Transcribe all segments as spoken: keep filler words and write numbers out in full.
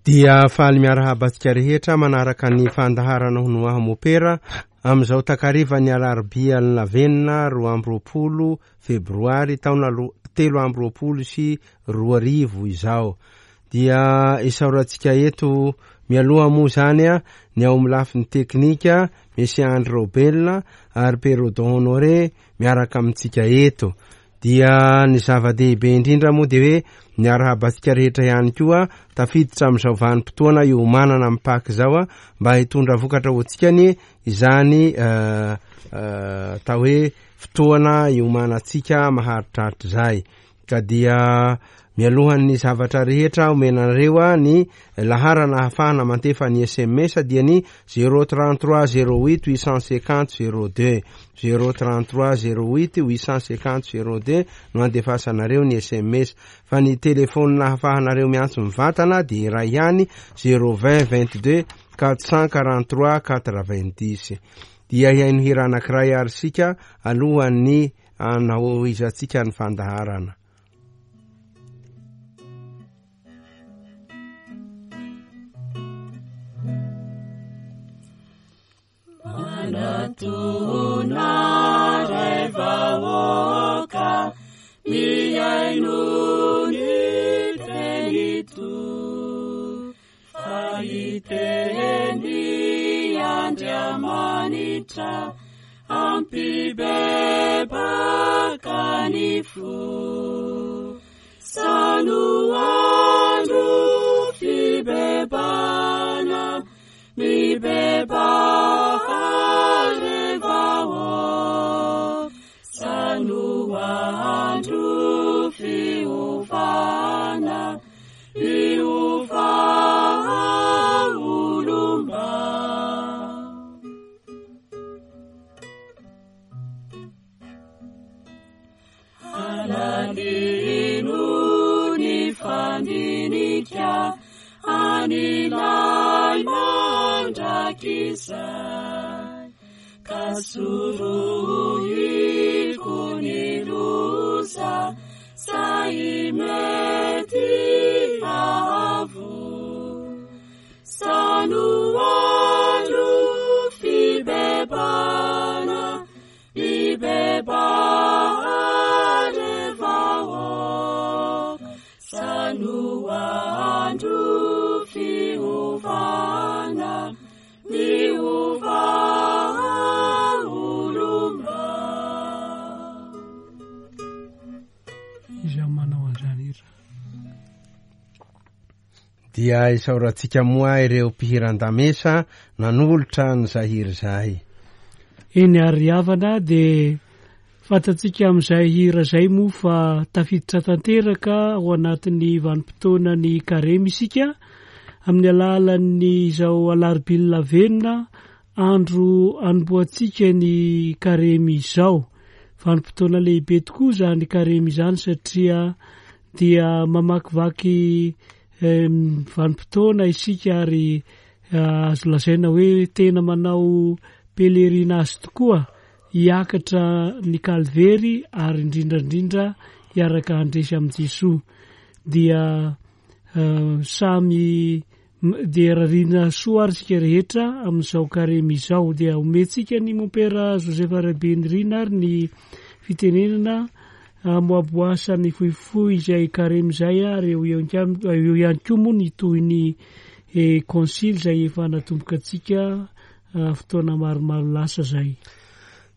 Dia faly miarahaba antsika rehetra manaraka ny fandaharana Hono Aho Mopera amin'izao takarivan'ny alarobia lavenona roa amby roapolo febroary taona telo amby roapolo sy roa arivo izao. Dia isaorantsika eto mialoha moa zany a ny ao amin'ny lafiny teknika Monsieur Andry Robelina ary Perrodon Honoré miaraka amintsika eto. Dia ny zava-dehibe indrindra moa dia hoe miarahaba antsika rehetra ihany koa tafiditra amin'izao vanim-potoana iomanana amin'ny Paka izao a mba hitondra vokatra ho antsika ny izany atao hoe fotoana iomanantsika maharitraritra izay. Ka dia mialohan'ny zavatra rehetra omenareo a ny laharana ahafahana mantefa ny S M S dia ny zéro trente-trois zéro huit huit cent cinquante zéro deux, zéro trente-trois zéro huit huit cent cinquante zéro deux no andefasanareo ny S M S. Fa ny telefônina ahafahanareo miantso mivantana dia iray ihany zéro vingt vingt-deux quatre cent quarante-trois quatre-vingt-dix. Dia hihaino hira anankiray ary isika alohan'ny anahoizantsika ny fandaharana. Manatona ray vahoaka mihaino ny tenito fa iteny Andriamanitra ampibebaka ny fo sano andro fibebana mibebaha revao sano andro fiovana miova olomba. Alalino ny fandinika anilay mandrakizay ka sorohiko ny loza zay mety avo sano andro fibebana mibebaha revao sano andro fiovana miova olomba. Iza manao an'izany hira? Dia isaorantsika moa ireo mpihiran-damesa nanolotra ny zahiry izay. Eny ary havana dia fantatsika amin'izay hira izay moa fa tafiditra tanteraka ao anatin'ny vanim-potoana ny karemy isika amin'ny alalan'ny izao alarobia lavenona andro anombohantsika ny karemy izao. Vanim-potoana lehibe tokoa izany karemy izany satria dia mamakivaky vanim-potoana isika ary azo lazaina hoe tena manao pèlerinage tokoa hiakatra ny Kalvery ary indrindra indrindra hiaraka handresy amin'i Jesoa. Dia samy dia rarina soa ary isika rehetra amin'izao karemy izao. Dia omentsika ny mompera Joseph Rabenirina ary ny fitenenana amoaboasany fohifohy izay karemy izay ary eo ihany koa moa ny tohin'ny konsily izay efa natomboka antsika fotoana maromaro lasa izay.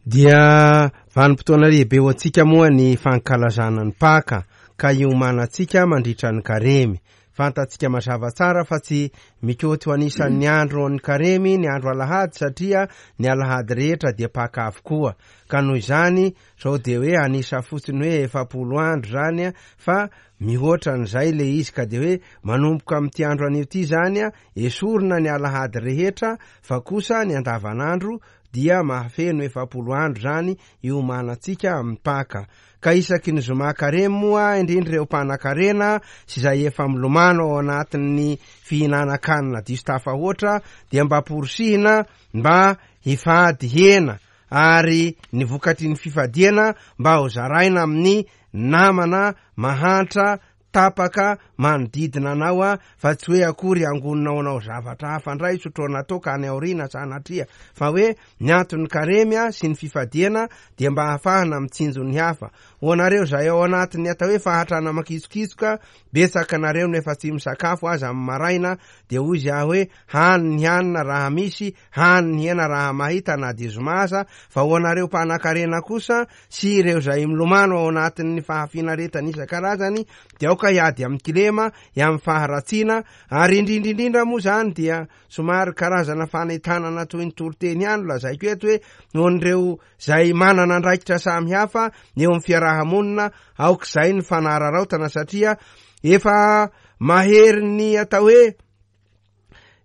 Dia vanim-potoana lehibe ho antsika moa ny fankalazana ny Paka ka iomanantsika mandritra ny karemy. Fantatsika mazava tsara fa tsy mikoty ho anisan'ny andro ny karemy ny andro alahady satria ny alahady rehetra dia Paka avokoa. Ka noho izany zao dia hoe anisa fotsiny hoe efapolo andro zany fa mihoatra an'izay le izy ka dia hoe manomboka amin'ity andro anio ity zany esorina ny alahady rehetra fa kosa ny andavanandro dia mahafeno efapolo andro zany iomanantsika amin'ny Paka. Ka isaky ny zoma karemy moa indrindra ireo mpanakarena sy izay efa milomano ao anatin'ny fihinanan-kanina diso tafahoatra dia mba porisihina mba hifady hena ary ny vokatry ny fifadiana mba ho zaraina amin'ny namana mahantra tapaka manodidina anao a, fa tsy hoe akory angoninao anao zavatra hafa indray sotroana toaka any aoriana sanatria, fa hoe ny anton'ny karemy a sy ny fifadiana dia mba ahafahana mitsinjo ny hafa. Ho anareo izay ao anatin'ny atao hoe fahatrana makitsokitsoka, betsaka anareo no efa tsy misakafo aza amin'ny maraina, dia hoy izy aho hoe hany ny hanina raha misy, hany ny hena raha mahita na dia zoma aza. Fa ho anareo mpanan-karena kosa sy ireo izay milomano ao anatin'ny fahafinaretana isan-karazany dia aoka hiady amin'ny kilema, amin'ny faharatsiana, ary indrindra indrindra moa zany dia somary karazana fanentanana toy ny toriteny ihany no lazaiko eto hoe noho ireo izay manana andraikitra samihafa eo amin'ny fiarahamonina, aoka izay ny fanararaotana, satria efa mahery ny atao hoe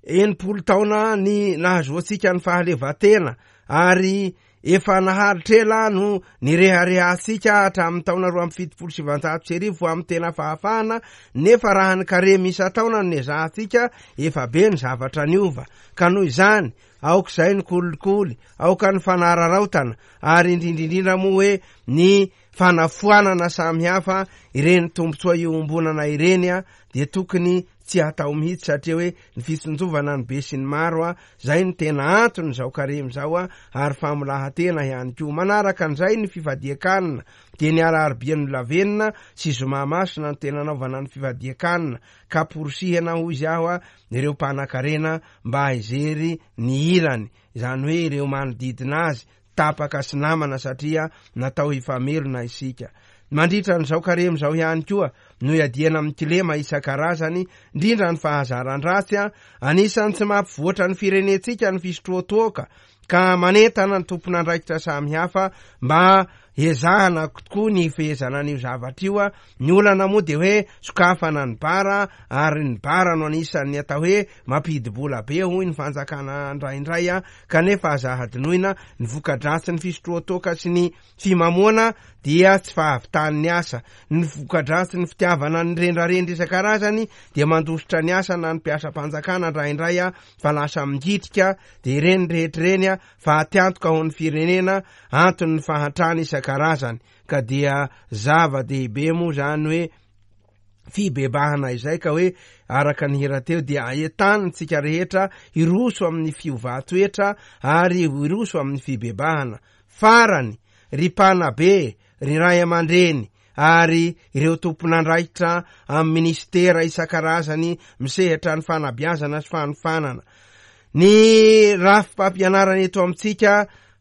enimpolo taona ny nahazoantsika ny fahaleovantena, ary efa naharitra ela no nireharehantsika hatramin'ny taona roa amby fitopolo sy sivanjato sy arivo amin'ny tena fahafahana, nefa raha ny karemy isan-taona no nezahantsika efa be ny zavatra niova. Ka noho izany aoka izay ny kolikoly, aoka ny fanararaotana, ary indrindra indrindra moa hoe ny fanafoanana samihafa ireny tombontsoa iombonana ireny a dia tokony tsy hatao mihitsy, satria hoe ny fitsinjovana ny be sy ny maro a zay ny tena antony izao karemy izao a, ary famolahan-tena ihany koa. Manaraka an'izay ny fifadian-kanina, dia ny alarobia nolavenina sy zoma masina ny tena anaovana ny fifadian-kanina, ka porosihana hoy izy aho a ireo mpanan-karena mba hijery ny ilany, izany hoe ireo manodidina azy tapaka sy namana, satria natao hifamelona isika. Mandritra an'izao karemy izao ihany koa no iadiana amin'ny kilema isan-karazany, indrindra ny fahazaran-dratsy a, anisan'ny tsy mampivoatra ny firenentsika ny fisotroa-toaka, ka manentana ny tompon'andraikitra samihafa mba ezahana tokoa ny fehezana an'io zavatra io a. Ny olana moa dia hoe sokafana ny bara, ary ny bara no anisan'ny atao hoe mampidi-bola be hoy ny fanjakana indraindray a, kanefa aza hadinoina ny voka-dratsy ny fisotroa-toaka sy ny fimamoana dia tsy fahavitan'ny asa, ny voka-dratsy ny fitiavana ny rendrarendra isan-karazany dia mandositra ny asa na ny mpiasam-panjakana indraindray a, fa lasa mingitrika, dia ireny rehetra ireny a fa atiantoka ho ny firenena, anton'ny fahantrana isan-karazany. Ka dia zava-dehibe moa zany hoe fibebahana izay, ka hoe araka ny hira teo dia ahitantsika rehetra hiroso amin'ny fiovan-toetra ary hiroso amin'ny fibebahana. Farany, ry mpanabe, ry ray aman-dreny, ary ireo tompon'andraikitra amin'ny ministera isan-karazany misehatra ny fanabeazana sy fanofanana, ny rafi-pampianarana eto amintsika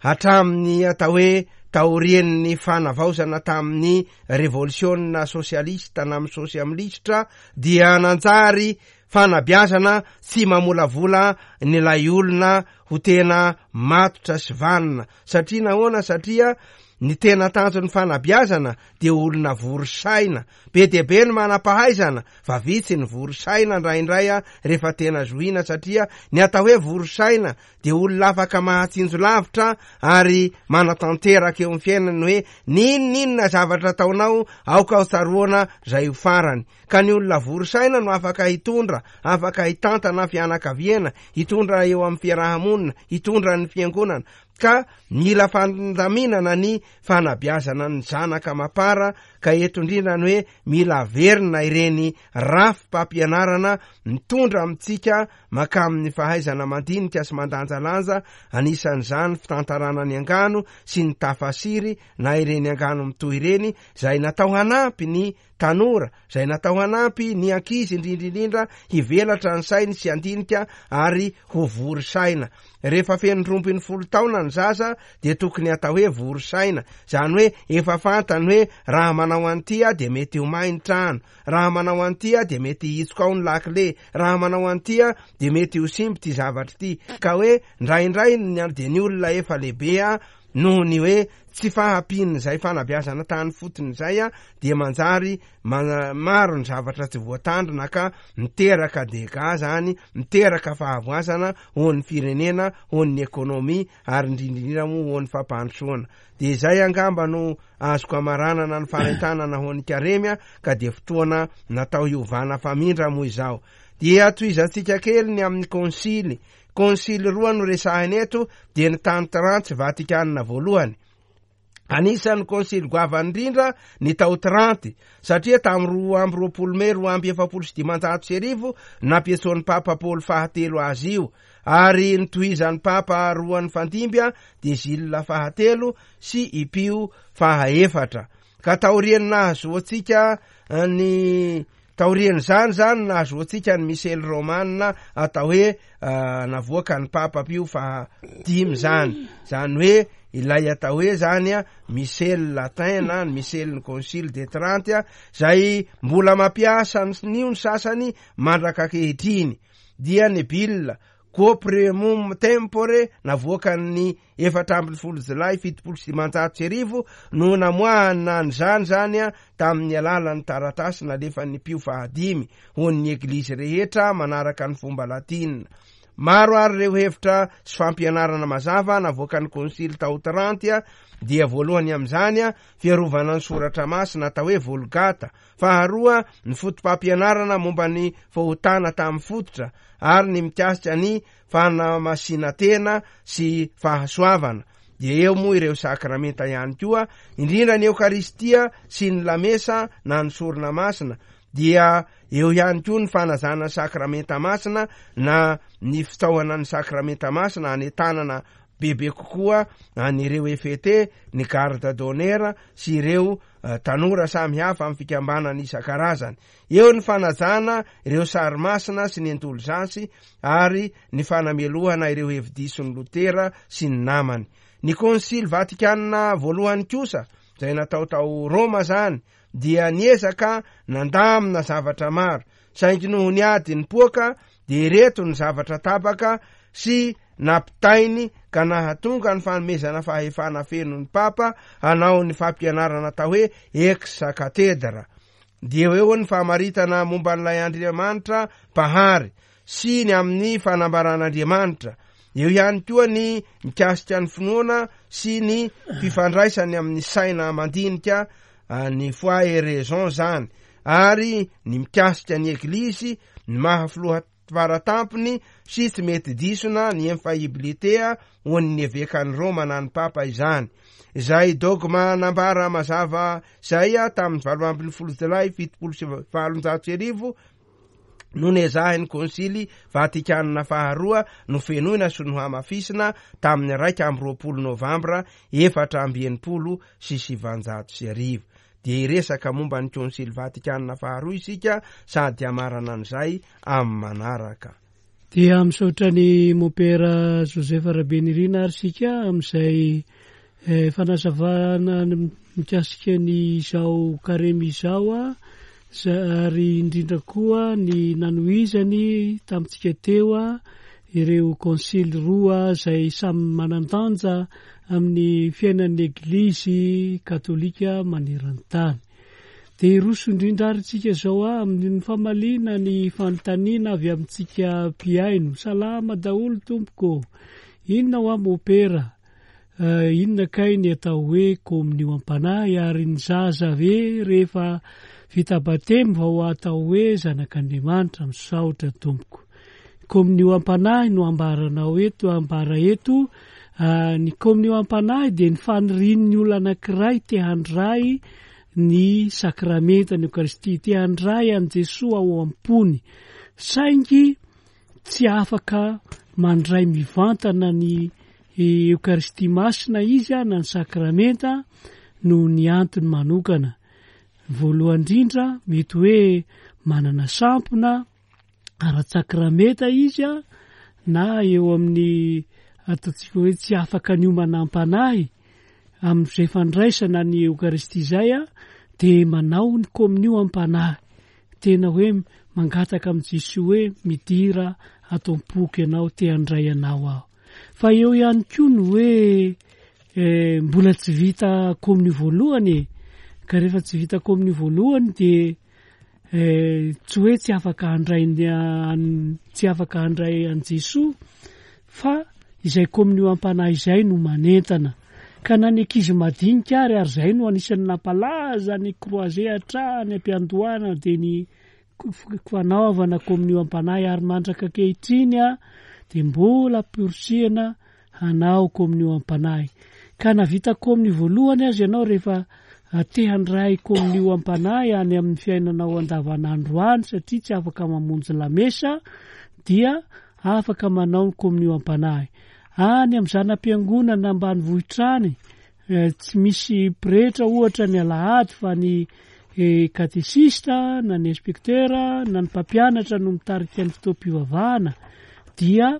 hatramin'ny atao hoe taorian'ny fanavaozana tamin'ny revolisiona sosialista na amin'ny sosialista dia nanjary fanabeazana tsy mamolavola ny lay olona ho tena matotra sy vanona. Satria nahoana? Satria ny tena tanjon'ny fanabeazana dia olona vory saina. Be dia be ny manam-pahaizana fa vitsy ny vory saina indraindray a rehefa tena zohina, satria ny atao hoe vory saina dia olona afaka mahatsinjo lavitra ary manatanteraka eo amin'ny fiainany hoe n'inon'inona zavatra ataonao aoka ho tsaroana izay ho farany. Ka ny olona vory saina no afaka hitondra, afaka hitantana fianakaviana, hitondra eo amin'ny fiarahamonina, hitondra ny fiangonana. Ka mila fandaminana ny fanabeazana ny zanaka mapara, ka eto indrindra ny hoe mila averina ireny rafi-pampianarana mitondra amintsika makamin'ny fahaizana mandinika sy mandanjalanja, anisan'izany fitantarana ny angano sy ny tafasiry na ireny angano mitohy ireny, izay natao hanampy ny tanora, izay natao hanampy ny ankizy indrindra indrindra hivelatra ny sainy sy handinika ary ho vory saina. Rehefa feno roa ambin'ny folo taona ny zaza dia tokony atao hoe vory saina, izany hoe efa fantany hoe raha manao an'ity aho dia mety ho may ny trano, raha manao an'ity aho dia mety hitsoka ao ny lakile, raha manao an'ity aho dia mety ho simba ity zavatra ity. Ka hoe indraindray ny dia ny olona efa lehibe a noho ny hoe tsy fahampian'izay fanabeazana tany fotony izay a dia manjary ma-, maro ny zavatra tsy voatandrina, ka miteraka dégâts zany, miteraka fahavoazana ho an'ny firenena, ho an'ny ekonomia, ary indrindra indrindra moa ho an'ny fampandrosoana. Dia izay angamba no azoko amaranana ny fanentanana ho an'ny karemy a, ka dia fotoana natao hiovana famindra moa izao. Dia tohizantsika kely ny amin'ny konsily. Konsily roa no resahina eto, dia ny tany Tranty sy Vatikana voalohany. Anisan'ny konsily goavana indrindra ny tao Tranty, satria tamin'ny roa amby roapolo mey roa amby efapolo sy dimanjato sy arivo nampiantsoan'ny Papa Paoly fahatelo azy io, ary nitohizan'ny Papa roa nifandimby dia Gilles fahatelo sy i Pio fahaefatra. Ka taorian'ny nahazoantsika ny taorian'izany zany nahazoantsika ny misely romana atao hoe navoaka ny Papa Pio fahadimy zany, zany hoe ilay atao hoe zany a missel latin na ny missel ny concile de Trente a, zay mbola mampiasa nio ny sasany mandraka ankehitriny, dia ny bulle quo primum tempore navoakan'ny efatra ambin'ny folo jolay fitopolo sy dimanjato sy arivo no namoahana an'izany zany a tamin'ny alalan'ny taratasy nalefan'ny Pio fahadimy ho an'ny eglizy rehetra manaraka ny fomba latina. Maro ary ireo hevitra sy fampianarana mazava navoakan'ny konsily tao Tranty a, dia voalohany amin'izany a fiarovana ny soratra masina atao hoe Vulgata, faharoa ny foto-pampianarana momba ny fahotana tamin'ny fototra ary ny mikasika ny fanamasinan-tena sy fahasoavana. Dia eo moa ireo sakramenta ihany koa, indrindra ny Eokaristia sy ny lamesa na ny sorona masina. Dia eo ihany koa ny fanazana ny sakramenta masina na ny fitaohana ny sakramenta masina anentanana bebe kokoa an'ireo F T, ny garde d'honneur sy ireo, eh, tanora samihafa amin'ny fikambanana isan-karazany. Eo ny fanajana ireo sary masina sy ny indolzansy ary ny fanamelohana ireo hevi-dison'ny Lotera sy ny namany. Ny konsily Vatikana voalohany kosa, izay natao tao Roma zany, dia niezaka nandamina zavatra maro, saingy noho ny ady nipoaka dia ireto ny zavatra tapaka sy nampitainy ka nahatonga ny fanomezana fahefana feno ny Papa hanao ny fampianarana atao hoe ex cathedra. Dia eo ny famaritana momba an'ilay Andriamanitra mpahary sy ny amin'ny fanambaran'Andriamanitra. Eo ihany koa ny mikasika ny finoana sy ny fifandraisany amin'ny saina mandinika, ny foi et raison zany, ary ny mikasika ny eglizy, ny maha filoha faratampony sy tsy mety disona ny infaillibilité ho an'ny evekan'i Roma na ny Papa izany. Izay dogma nambara mazava zay a tamin'ny valo ambin'ny folo jolay fitopolo sy valonjato sy arivo no nezahin'ny konsily Vatikana faharoa nofenoina sy nohamafisina tamin'ny raika amby roapolo novambra efatra amby enimpolo sy sivanjato sy arivo. Dia hiresaka momba ny konsily Vatikana faharoa isika sady hamarana an'izay amin'ny manaraka. Dia misaotra ny Mompera Joseph Rabenirina ary isika amin'izay, eh, fanazavana mikasika ny izao karemy izao a, za-, ary indrindra koa ny nanohizany tamintsika teo a, ireo konsily roa izay samy manan-danja amin'ny fiainan'ny Eglizy katolika maneran-tany. Dia hiroso indrindra ary isika izao a, amin'ny famaliana ny fanontaniana avy amintsika mpihaino. Salama daholo tompoko. Inona ho aho Mompera? Eh, inona kay ny atao hoe komonio am-panahy ary ny zaza ve rehefa vita batemy vao atao hoe zanak'Andriamanitra? Misaotra tompoko. Komonio am-panahy no ambaranao eto, ambara eto. Ah, ny komonio am-panahy dia ny fanirian'ny olona anankiray te handray ny sakramenta ny Eokaristia, te handray an'i Jesoa ao am-pony, saingy tsy afaka mandray mivantana ny Eokaristia masina izy na ny sakramenta noho ny antony manokana. Voalohany indrindra, mety hoe manana sampona ara-tsakramenta izy a, na eo amin'ny ataontsika hoe tsy afaka niomana am-panahy amin'izay fandraisana ny Eokaristia izay a, dia manao ny komonio am-panahy. Tena hoe mangataka amin'i Jesoa hoe midira ato am-poko ianao, te handray anao aho. Fa eo ihany koa ny hoe, eh, mbola tsy vita komonio voalohany e. Ka rehefa tsy vita komonio voalohany dia, eh, tsy hoe tsy afaka handray ny, an-, tsy afaka handray an'i Jesoa, fa izay komonio am-panahy izay no manentana. Ka na ny ankizy madinika ary, ary izay no anisan'ny nampalaza ny croisé hatrany am-piandohana, dia ny fanaovana komonio am-panahy, ary mandraka ankehitriny a, dia mbola amporisihana hanao kominio am-panahy. Ka na vita kominio voalohany aza ianao rehefa te handray kominio am-panahy any amin'ny fiainanao andavanandro any satria tsy afaka mamonjy lamesa, dia afaka manao ny kominio am-panahy. Any amin'ny zana-piangonana ambanivohitra any, tsy misy pretra ohatra ny alahady fa ny katesista na ny inspektera na ny mpampianatra no mitarika ny fotoam-pivavahana, dia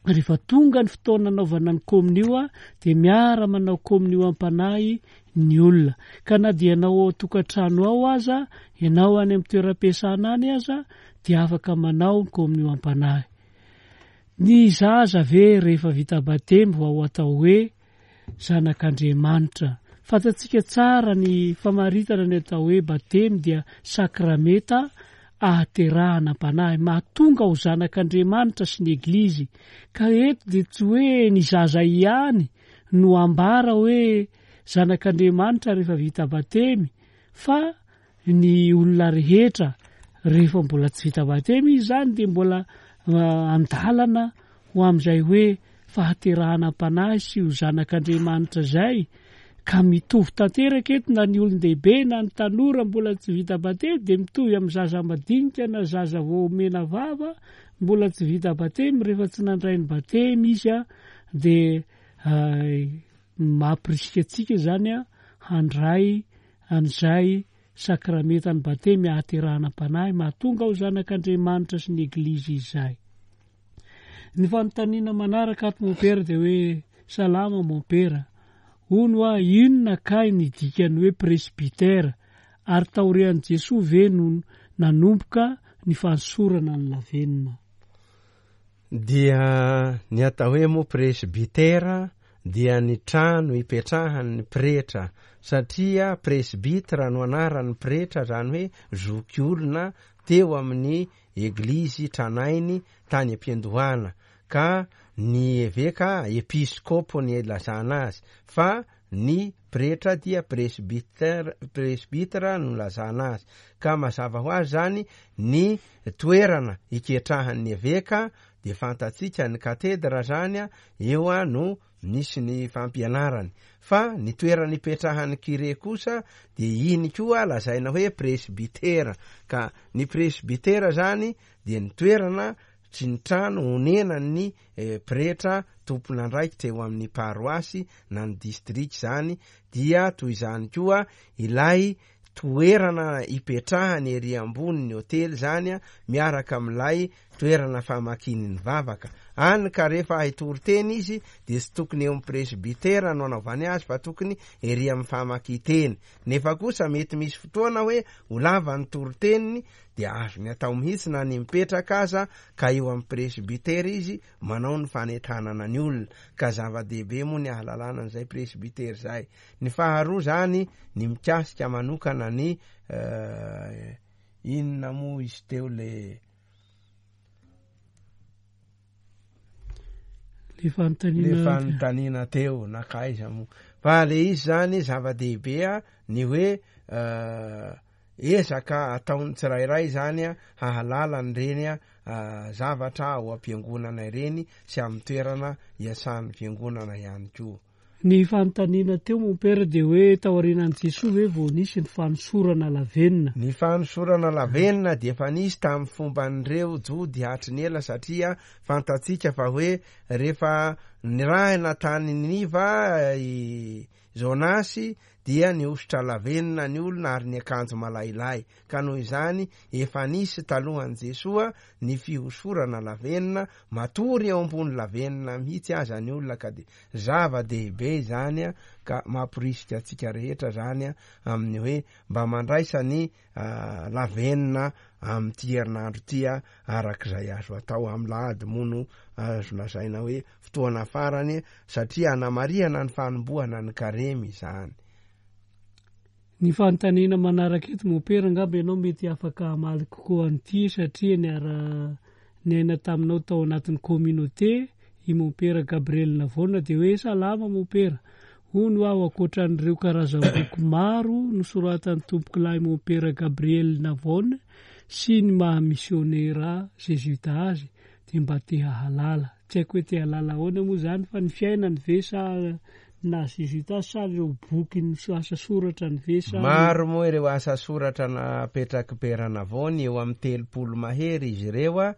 rehefa tonga ny fotoana anaovana ny kominio dia miara manao kominio am-panahy ny olona. Ka na dia ianao ao an-tokantrano ao aza, ianao any amin'ny toeram-piasana any aza, dia afaka manao ny kominio am-panahy. Ny zaza ve rehefa vita batemy vao atao hoe zanak'Andriamanitra? Fantatsika tsara ny famaritana ny atao hoe batemy dia sakramenta ahaterahana am-panahy, mahatonga ho zanak'Andriamanitra sy ny Eglizy. Ka eto dia tsy hoe ny zaza ihany no ambara hoe zanak'Andriamanitra rehefa vita batemy, fa ny olona rehetra rehefa mbola tsy vita batemy izy zany dia mbola andalana ho amin'izay hoe fahaterahana am-panahy sy ho zanak'Andriamanitra zay. Ka mitovy tanteraka eto na ny olon-dehibe na ny tanora mbola tsy vita batemy dia mitovy amin'ny zaza madinika na zaza vao omena vava mbola tsy vita batemy. Rehefa tsy nandray ny batemy izy a, dia mampirisika antsika zany a handray an'izay sakramentan'ny batemy ahaterahana am-panahy mahatonga ho zanak'Andriamanitra sy ny Eglizy izay. Ny fanontaniana manaraka ato mompera dia hoe salama mompera, hono a inona kay ny dikan'ny hoe presbytera, ary taorian'i Jesoa ve no nanomboka ny fanosorana ny lavenona? Dia ny atao hoe moa presbytera dia ny trano ipetrahan'ny pretra, satria presbytre no anaran'ny pretra, zany hoe zoky olona teo amin'ny eglizy tranainy tany am-piandohana, ka ny eveka episkopo ny ilazana azy, fa ny pretra dia presbytère, presbytre no ilazana azy. Ka mazava ho azy zany ny toerana iketrahan'ny eveka dia fantatsika ny katedra zany a, eo a no nisy ny fampianarany, fa ny toerana ipetrahan'ny kire kosa dia iny koa lazaina hoe presbytera. Ka ny presbytera zany dia ny toerana sy ny trano onenan'ny pretra tompon'andraikitra eo amin'ny paroasy na ny district zany, dia toy izany koa ilay toerana ipetrahany ery ambonin'ny hotely zany a, miaraka amin'ilay toerana famakiany ny vavaka. Any ka rehefa hitory teny izy dia tsy tokony eo amin'ny presbytera no anaovany azy, fa tokony ery amin'ny famakian-teny. Nefa kosa mety misy fotoana hoe ho lava ny toriteniny dia azony atao mihitsy na ny mipetraka aza, ka eo amin'ny presbytera izy manao ny fanentanana ny olona. Ka zava-dehibe moa ny ahalalana an'izay presbytera izay. Ny faharoa zany ny mikasika manokana ny inona moa izy teo le le fanontaniana le fanontaniana teo na kaiza moa, fa le izy zany zava-dehibe a ny hoe ezaka ataon'ny tsirairay zany a hahalala an'ireny a zavatra ao am-piangonana ireny sy amin'ny toerana iasan'ny fiangonana ihany koa. Ny fanontaniana teo mompera dia hoe taorianan'i Jesoa ve vao nisy ny fanosorana lavenona? Ny fanosorana lavenona dia efa nisy tamin'ny fomban'ireo Jody hatry ny ela, satria fantatsika fa hoe rehefa nirahina tany Niniva i Jonasy dia nihosotra lavenona ny olona ary niakanjo malailay. Ka noho izany efa nisy talohan'i Jesoa ny fihosorana lavenona, matory eo ambony lavenona mihitsy aza ny olona, ka dia zava-dehibe izany a, ka mamporisika antsika rehetra zany a amin'ny hoe mba mandraisa ny lavenona amin'ity herinandro ity a, arak'izay azo atao. Amin'ny lahady moa no azo lazaina hoe fotoana farany, satria anamarihana ny fanombohana ny karemy izany. Ny fanontaniana manaraka eto mompera, angamba ianao mety afaka hamaly kokoa an'ity, satria niara niaina taminao tao anatin'ny communauté i mompera Gabriel Navona, dia hoe salama mompera, hono aho ankoatran'ireo karazam-boky maro nosoratan'ny tompokolahy mompera Gabriel Navona sy ny maha misionera zezuita azy, dia mba te hahalala. Tsy haiko hoe te hahalala ahoana moa izany fa ny fiainany ve sa naha zezoita azy sa ireo boky ny asa soratra ny ve sa Maro moa ireo asa soratra napetraky Père Navone, eo amin'ny telopolo mahery izy ireo a,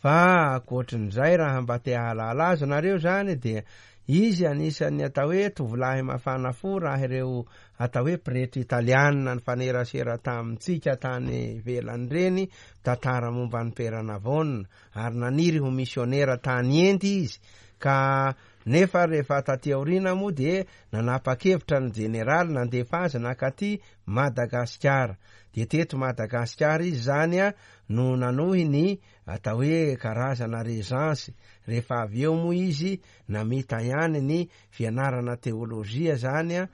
fa ankoatrin'izay raha mba te hahalala azy nareo zany dia izy anisan'ny atao hoe tovolahy mafana fo raha ireo atao hoe pretra italianina ny fanerasera tamintsika tany ivelany reny, tantara momba ny Père Navone, ary naniry ho misionera tany Endy izy, ka nefa rehefa taty aoriana moa dia nanapa-kevitra ny jeneraly nandefa azy nakaty Madagasikara. Dia teto Madagasikara izy zany a no nanohy ny atao hoe karazana régence. Rehefa avy eo moa izy namita ihany ny fianarana teolojia zany a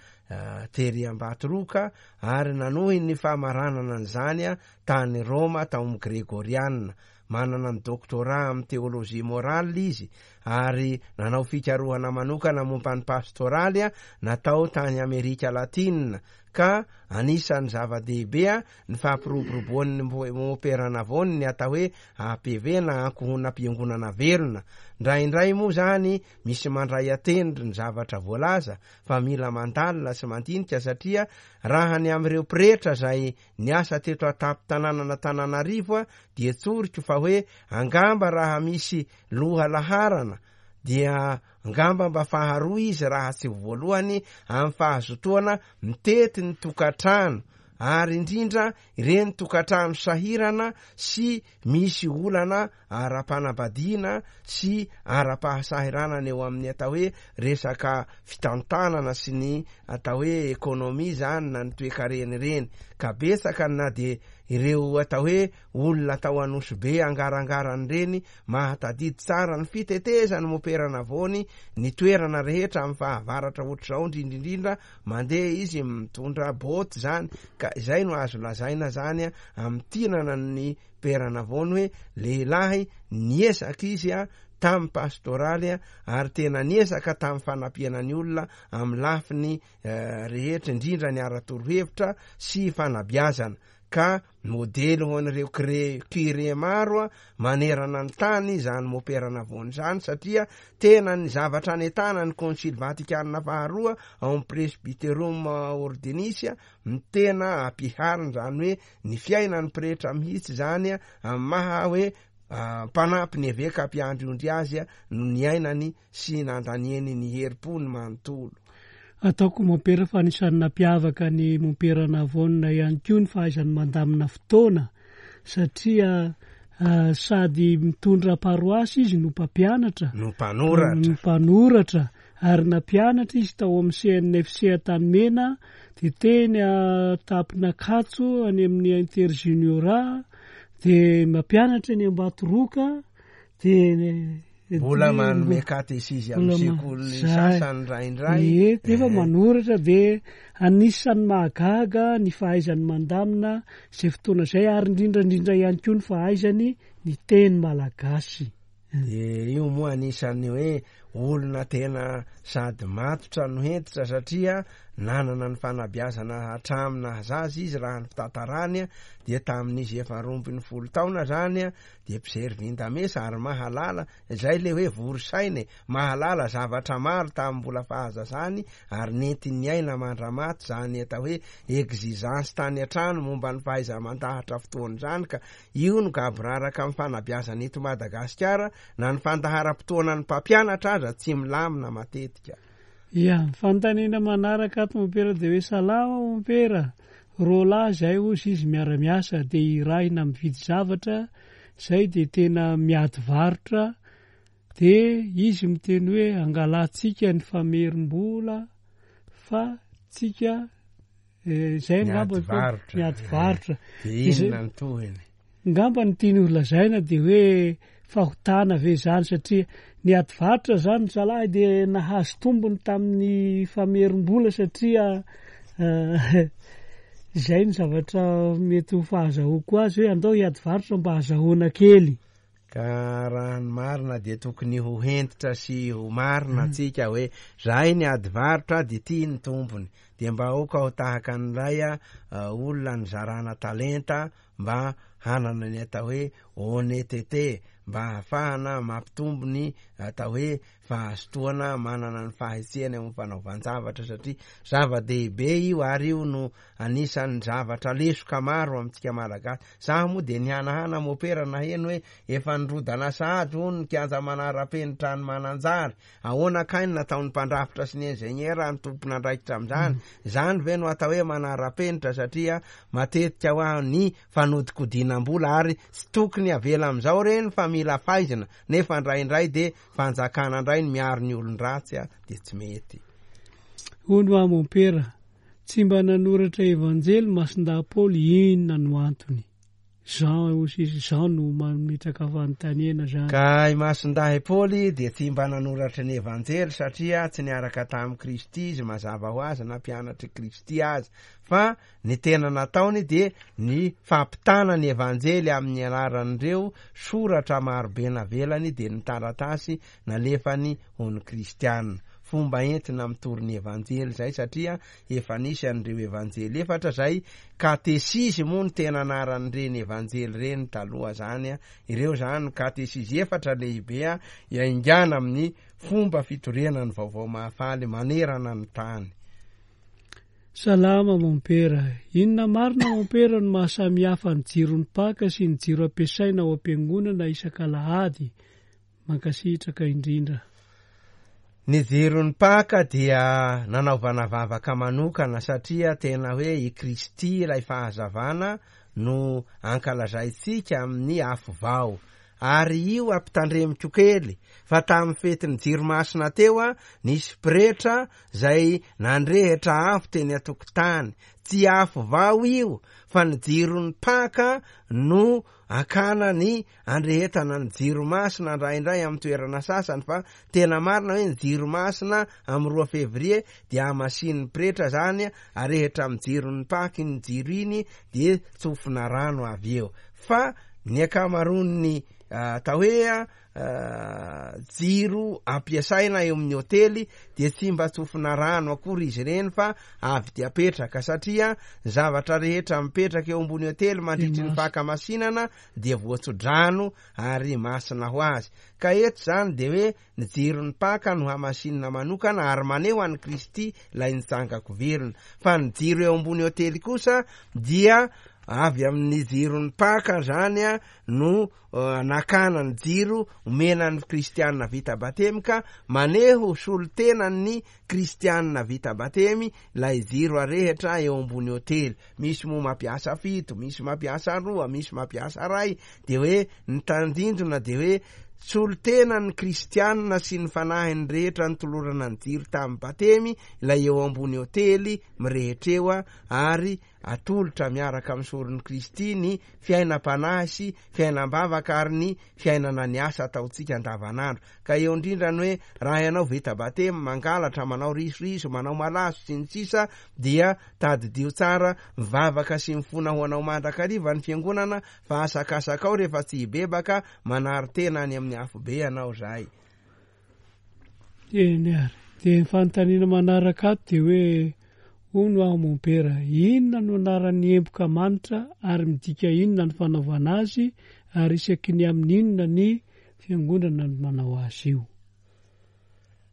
tery Ambatoroka, ary nanohy ny famaranana an'izany a tany Roma tao amin'ny Gregoriana. Manana ny doctorat amin'ny teolojia morale izy, ary nanao fikarohana manokana momba ny pastoraly a natao tany Amerika Latina, ka anisan'ny zava-dehibe a ny fampiroboroboan'ny Mompera Navone ny atao hoe A P V na ankohonam-piangonana velona. Indraindray moa zany misy mandray atendry ny zavatra voalaza fa mila mandalina sy mandinika, satria raha ny amin'ireo pretra zay niasa teto an-tampon-tanànan'Antananarivo a dia tsoriko fa hoe angamba raha misy loha laharana dia angamba mba faharoa izy raha tsy voalohany amin'ny fahazotoana mitety ny tokantrano, ary indrindra ireny tokantrano sahirana sy misy olana ara-panambadiana sy ara-pahasahiranana eo amin'ny atao hoe resaka fitantanana sy ny atao hoe ekonomia zany na ny toekarena ireny. Ka betsaka na dia ireo atao hoe olona tao Anosy Be angarangarany ireny mahatadidy tsara ny fitetezany Mompera Navone ny toerana rehetra amin'ny fahavaratra ohatr'izao, indrindrindrindra mandeha izy mitondra boty zany, ka izay no azo lazaina zany amin'ny tinana ny Père Navone hoe lehilahy niezaka izy a tamin'ny pastoraly a, ary tena niezaka tamin'ny fanampiana ny olona amin'ny lafiny, eh, rehetra, indrindra ny ara-torohevitra sy fanabeazana, ka modely ho an'ireo kre-, curé maro a manerana ny tany izany Mompera Navone izany, satria tena ny zavatra anetana ny Konsily Vatikana faharoa ao amin'ny Presbyterum Ordinis a, ny tena ampiharina izany hoe ny fiainan'ny pretra mihitsy izany a, amin'ny maha hoe, ah, mpanampy ny eveka mpiandry ondry azy a, no niainany sy nandaniany ny herim-pony manontolo. Ataoko Mompera fa anisan'ny nampiavaka ny Mompera Navone ihany koa ny fahaizany mandamina fotoana, satria, ah, sady mitondra paroasy izy no mpampianatra, no mpanoratra. No mpanoratra, ary nampianatra izy tao amin'ny C N F C Antanimena, dia teny Tampinakatso any amin'ny Interjuniora, dia mampianatra ny Ambatoroka, dia mbola Dia manome mbo- katesizy amin'ny mbola ma- sekoly zay. sasany indraindray. Ie, nefa Eh. manoratra, dia anisan'ny mahagaga ny fahaizany mandamina izay fotoana izay, ary indrindra indrindra ihany koa ny fahaizany ny teny malagasy. Dia io moa anisan'ny hoe olona tena sady matotra no hentitra, satria nanana ny fanabeazana hatramin'ny nahazaza izy raha ny fitantarany a, dia tamin'izy efa roa ambin'ny folo taona zany a, dia mpijery vindamesa ary mahalala, izay le hoe vory saina e, mahalala zavatra maro tamin'ny mbola fahazazany, ary nentin'ny aina mandramaty zany atao hoe exigence tany an-trano momba ny fahaiza-mandahatra fotoana izany, ka io no gaboraraka amin'ny fanabeazana eto Madagasikara, na ny fandaharam-potoanan'ny mpampianatra aza tsy milamina matetika. Ia, fanontaniana manaraka ato Mompera dia hoe salama Mompera, roa lahy izay hozy izy miara-miasa dia irahina mividy zavatra, izay dia tena miady varotra, dia izy miteny hoe angalantsika ny famerim-bola fa tsika, eh, izay Miady angamba fa varotra. miady varotra. Dia Izay inona ny tohiny? Angamba ny tiany ho lazaina dia hoe fahotana ve izany, satria ny ady varotra zany zalahy dia nahazo tombony tamin'ny famerim-bola, satria, eh, izay ny zavatra mety ho fahazahoako azy hoe andao hiady varotra mba hahazahoana kely. Ka raha ny marina dia tokony ho hentitra sy ho marina Mm. antsika hoe zahay ny ady varotra dia tia ny tombony, dia mba aoka ho tahaka an'ilay, eh, olona nizarana talenta mba hanana ny atao hoe honnêteté, mba hahafahana mampitombo ny atao hoe fahazotoana manana ny fahetsehana amin'ny fanaovan-javatra, satria zava-dehibe io ary io no anisan'ny zavatra lesoka maro amintsika Malagasy. Zaho moa dia nihanahana mopera naheno hoe efa nirodana sahady hono ny kianja manara-penitra any Mananjary. Ahoana kay ny nataon'ny mpandrafitra sy ny ingénieur ny tompon'andraikitra amin'izany? Izany ve no atao hoe manara-penitra? Satria matetika ho aho ny fanodikodinam-bola ary tsy tokony avela amin'izao reny fa mila faizina, nefa indraindray dia fanjakana indray ny miaro ny olon-dratsy a, dia tsy mety. Hono aho mompera, tsy mba nanoratra evanjely Masindahy Paoly, inona no antony? Jean hoy izy, Jean no mametraka fanontaniana zany. Ka i Masindahy Paoly dia tsy mba nanoratra ny evanjely satria tsy niaraka tamin'i Kristy izy, mazava ho azy, na mpianatr'i Kristy azy, fa ny tena nataony dia ny fampitana ny evanjely amin'ny alalan'ireo soratra marobe navelany, dia ny taratasy nalefany ho ny kristiana. Fomba entina mitory ny evanjely zay, satria efa nisy an'ireo evanjely efatra zay, katesizy moa ny tena anaran'ireny evanjely reny taloha zany a. Ireo zany katesizy efatra lehibe a, iaingana amin'ny fomba fitoriana ny vaovao mahafaly manerana ny tany. Salama mompera, inona marina mompera no mahasamihafa ny jiron'ny Paka sy ny jiro ampiasaina ao am-piangonana isak'alahady? Mankasitraka indrindra. Ny jiron'ny Paka dia nanaovana vavaka manokana, satria tena hoe i Kristy ilay fahazavana no ankalazaintsika amin'ny afo vao. Ary io ampitandremiko kely fa tamin'ny fetin'ny jiro masina teo a, nisy pretra zay nandrehitra afo teny an-tokotany. Tsy afo vao io fa ny jiron'ny Paka no akana ny andrehetana ny jiro masina indraindray amin'ny toerana sasany, fa tena marina hoe ny jiro masina amin'ny roa fevrier dia hamasin'ny pretra zany, arehitra amin'ny jiron'ny Paka iny jiro iny, dia tsofina rano avy eo. Fa ny ankamaroan'ny atao hoe jiro ampiasaina eo amin'ny hotely dia tsy mba tsofina rano akory izy ireny fa avy dia apetraka, satria zavatra rehetra mipetraka eo ambony hotely mandritry ny fankamasinana dia voatsodrano ary masina ho azy. Ka eto zany dia hoe ny jiron'ny Paka no hamasinina manokana ary maneho an'i Kristy ilay nitsangako velona. Fa ny jiro eo ambony hotely kosa dia avy amin'ny jiron'ny Paka zany a no nakana ny jiro omena ny kristianina vita batemy, ka maneho solotenan'ny kristianina vita batemy ilay jiro arehitra eo ambony hotely. Misy moa mampiasa fito, misy mampiasa roa, misy mampiasa ray, dia hoe ny tandindona dia hoe solotenan'ny kristianina sy ny fanahiny rehetra nitolorana ny jiro tamin'ny batemy ilay eo ambony hotely mirehitra eo, ary atolotra miaraka amin'ny soron'i Kristy ny fiainam-panahy sy fiainam-bavaka ary ny fiainana ny asa ataontsika andavanandro. Ka eo indrindra ny hoe raha ianao vita batemy mangalatra, manao risoriso, manao malaso sy ny sisa, dia tadidio tsara mivavaka sy mifona ho anao mandrakariva ny fiangonana, fa asakasakao rehefa tsy hibebaka, manary tena any amin'ny afobe ianao zay. Eny ary, dia ny fanontaniana manaraka ato dia hoe hono aho mompera, inona no anaran'ny emboka manitra ary midika inona ny fanaovana azy, ary isaky ny amin'ny inona ny fiangonana no manao azy io?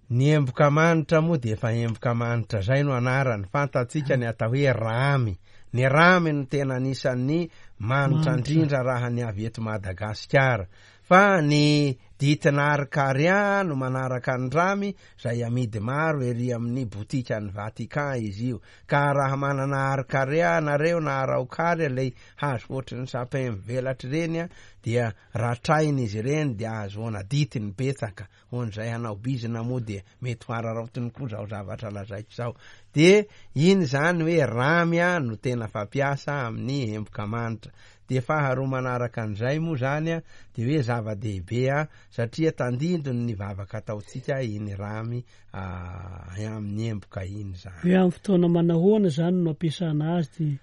Ny emboka manitra moa dia efa emboka manitra zay no anarany. Fantatsika ny atao hoe ramy. Ny ramy no tena anisan'ny manitra indrindra raha ny avy eto Madagasikara. Fa ny ditina arkaria no manaraka ny ramy, zay amidy maro ery amin'ny botikan'ny Vatican izy io. Ka raha manana arkaria nareo na araokaria, ilay hazo ohatry ny sapin mivelatra ireny a, dia ratraina izy ireny dia ahazoana ditiny betsaka. Ho an'izay hanao bizina moa dia mety ho araraotiny koa zao zavatra lazaiko zao. Dia iny zany hoe ramy a no tena fampiasa amin'ny emboka manitra. Dia faharoa manaraka an'izay moa zany a, dia hoe zava-dehibe a, satria tandindony ny vavaka ataontsika iny ramy amin'ny emboka iny zany. Hoe amin'ny fotoana manahoana zany no ampiasana azy dia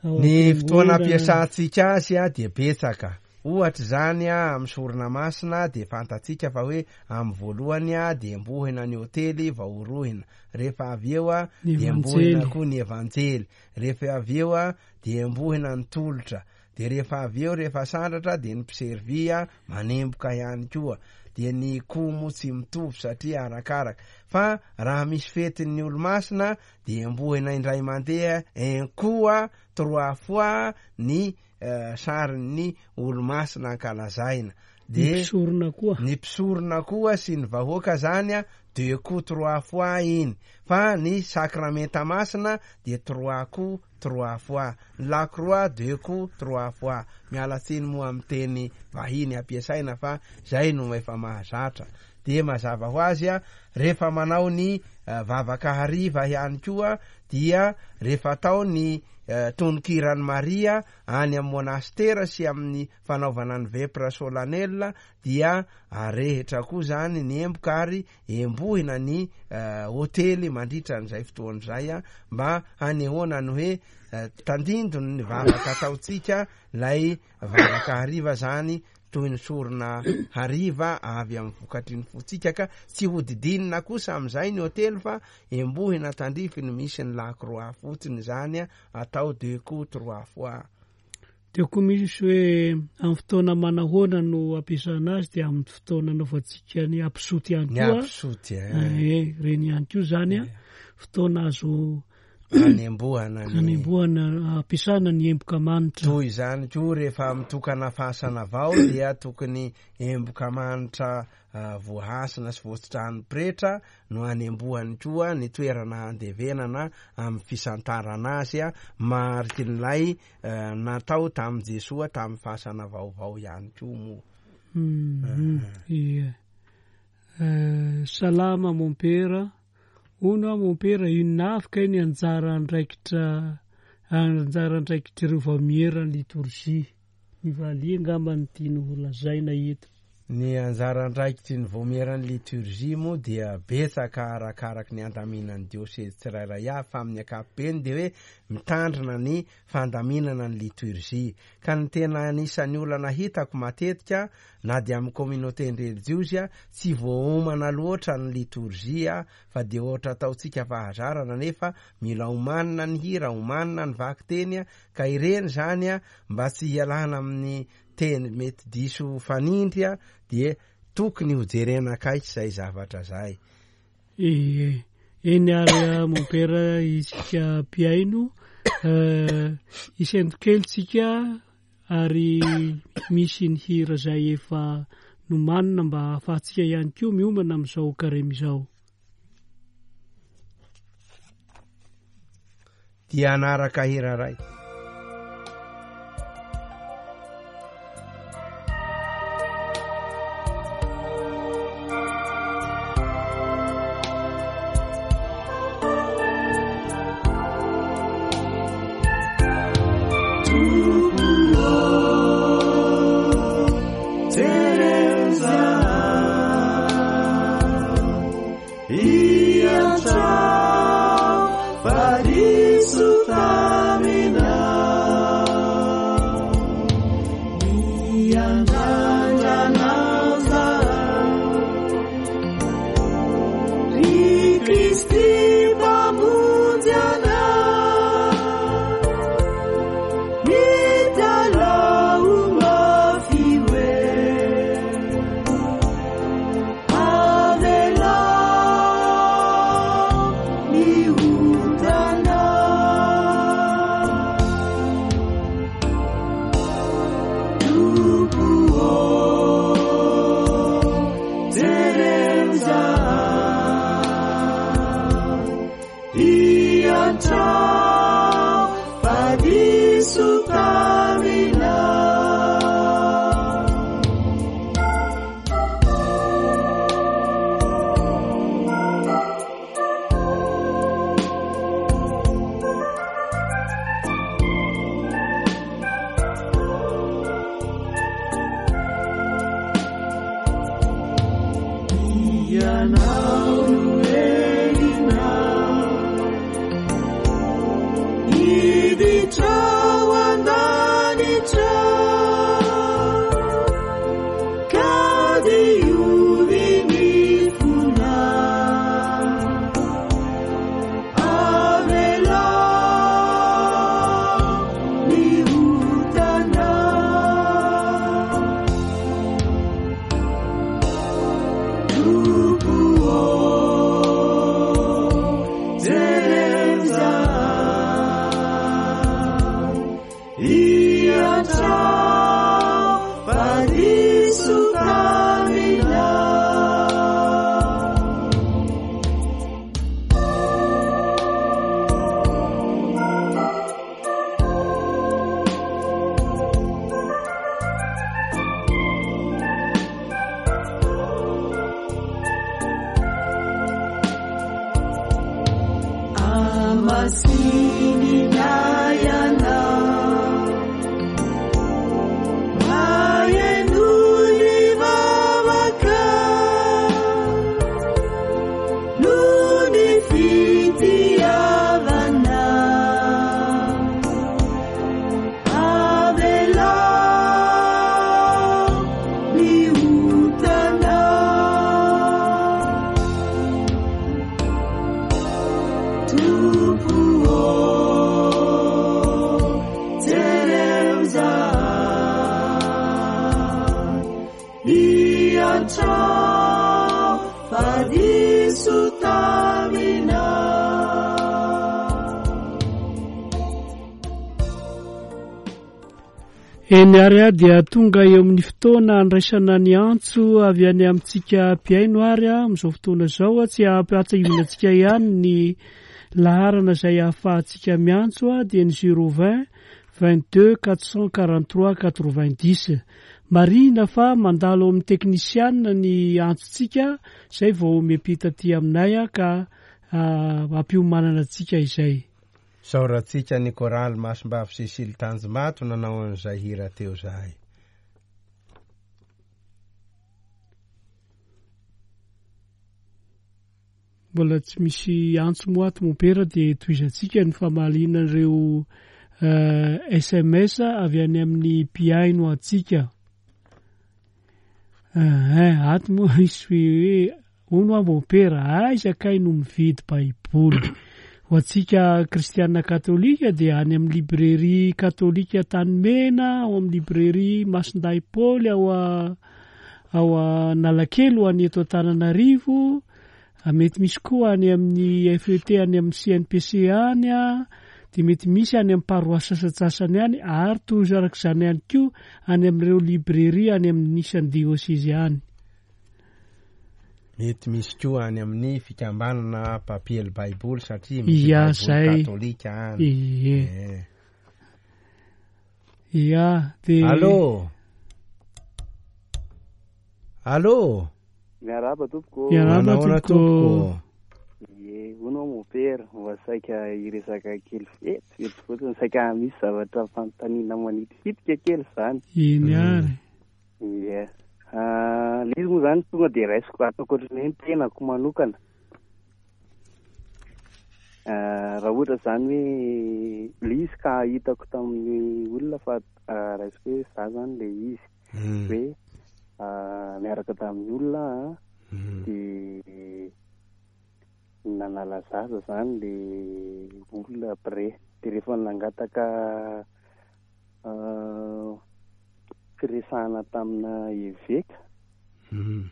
ao Ny fotoana am-piangonana? ampiasantsika azy a dia betsaka. Ohatra zany a, amin'ny sorona masina dia fantatsika fa hoe amin'ny voalohany a dia embohina ny hotely vao orohina. Rehefa avy eo a Ny dia embohina evanjely. koa ny evanjely. Rehefa avy eo a dia embohina ny tolotra. De rehefa avy eo, rehefa sandratra, de ny mpiservy a manemboka ihany koa. De ny komo tsy mitovy satria arakaraka. Fa raha misy fetin'ny olo-masina de embohina indray mandeha, un coup trois fois ny uh, sarin'ny olo-masina ankalazaina. De ny mpisorona koa. Ny mpisorona koa sy ny vahoaka zany a deux coups trois fois iny. Fa ny sakramenta masina de trois coups trois fois. Ny la croix deux coups trois fois. Miala tsiny moa amin'ny teny vahiny ampiasaina fa zay no efa mahazatra. De mazava ho azy a, rehefa manao ny uh, vavaka hariva ihany koa dia rehefa atao ny uh, tononkiran'i Maria any amin'ny monastera sy amin'ny fanaovana ny vepra solennel dia arehitra koa zany ny emboka ary embohina ny uh, hotely mandritra an'izay fotoana izay a, mba hanehoana ny hoe uh, tandindony ny vavaka ataontsika lay vavaka hariva zany toy ny sorona hariva avy amin'ny vokatry ny fotsika, ka tsy hodidinina kosa amin'izay ny hotely fa embohina tandrify ny misy ny lakroa fotsiny zany a, atao deux coups trois fois. De koa misy hoe amin'ny fotoana manahoana no ampiasana azy, de amin'ny fotoana anaovantsika ny ampisoty ihany Ny koa. ampisoty Eh, reny ihany koa zany a, fotoana azo anembohana ny anembohana ampiasana ny emboka manitra. Toy izany koa rehefa mitokana fasana vao dia tokony emboka manitra uh, voahasina sy voasitrahan'ny pretra no anembohany koa ny toerana andevenana amin'ny fisantarana azy a, marikin'ilay uh, natao tamin'i Jesoa tamin'ny fasana vaovao ihany koa moa. Mm, ie. Eh, salama mompera. Hono aho mompera, inona avy kay ny anjara andraikitra anjara andraikitr'ireo vaomieran'ny litorjia? Ny valia angamba no tiany ho lazaina eto. Ny anjara andraikitry ny vaomieran'ny litorjia moa dia betsaka arakaraky ny andaminan'ny diosezy tsirairay avy, fa amin'ny ankapobeny dia hoe mitandrina ny fandaminana ny litorjia. Ka ny tena anisan'ny olana hitako matetika na dia amin'ny communauté relijiozy a, tsy voaomana loatra ny litorjia fa dia ohatra ataontsika fahazarana, nefa mila omanina ny hira, omanina ny vakiteny a, ka ireny zany a mba tsy hialana amin'ny teny mety diso fanindry a, dia tokony ho jerena akaiky izay zavatra zay. Ie, eny ary a, mompera, isika mpihaino, eh, isento kely tsika ary misy ny hira zay efa nomanina mba ahafahantsika ihany koa miomana amin'izao karemy izao. Dia hanaraka hira ray. Iditra zahay Iantrao fa diso taminao. Amasinina ianao, maheno ny vavaka, noho ny fitiavana. Avelao ny otanao. Tompo ô, jereo izahay, iantrao fa diso taminao. Eny ary a dia tonga eo amin'ny fotoana andraisana ny antso avy any amintsika mpihaino ary a amin'izao fotoana izao a tsy ampahatsiahivina antsika ihany ny laharana izay ahafahantsika miantso a dia ny zéro vingt vingt-deux quatre cent quarante-trois quatre-vingt-dix. Marihina fa mandalo amin'ny teknisianina ny antsontsika izay vao miampita aty aminay a ka ampiomanana antsika izay. Saorantsika ny koraly Masimbavy Cécile Tanjombato nanao an'izay hira teo zahay. Mbola tsy misy antso moa ato mompera dia tohizantsika ny famaliana ireo S M S avy any amin'ny mpihaino antsika. Ato moa misy hoe hono aho mompera, aiza kay no mividy Baiboly? Ho antsika kristiana katolika dia any amin'ny librairie katolika Tanimena, ao amin'ny librairie Masindahy Paoly, ao a-, ao Analakely ho any eto Antananarivo, mety misy koa any amin'ny F E T any amin'ny C N P C any a, dia mety misy any amin'ny paroasy sasantsasany any, ary toy araka izany ihany koa any amin'ireo librairie any amin'ny isan'ny diôsezy any. Mety misy koa any amin'ny fikambanana mpampiely Baiboly satria misy Ia, Baiboly zay. katolika any. Ie. Eh. Ia, de Allô? Allô? Miarahaba tompoko. Miarahaba Manahoana tompoko. tompoko? Ie, hono aho mompera, mba saika hiresaka kely vetivety fotsiny, saika misy zavatra fanontaniana manitikitika kely izany. Eny ary. Ie. Ah, le izy moa izany tonga dia raisiko ataoko ohatran'ny hoe ny tenako manokana. Ah, raha ohatra izany hoe le izy ka hitako tamin'ny olona fa, ah, raisiko hoe za zany le izy. Mm. Hoe, ah, niaraka tamin'ny olona aho, Mm. dia nanala zaza zany le olona après. Dia rehefa nangataka, ah, firesahana tamina eveka. Mm.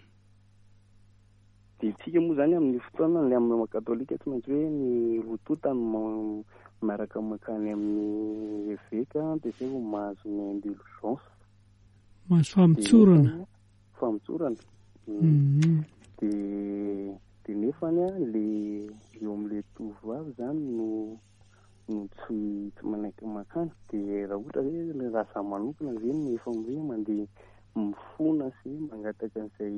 Dia tsika moa zany amin'ny fotoana ny amin'ny maha katolika tsy maintsy hoe ny roa tonta no ma-, miaraka mankany amin'ny eveka, dia zay vao mahazo ny indulgence. Mahazo famotsorana. Dia famotsorana. Mm. Mm. Dia, dia nefany a, le eo amin'le tovovavy zany no, no tsy, tsy manaiky mankany. Dia raha ohatra hoe le raha za manokana ve no efa hoe mandeha mifona sy mangataka an'izay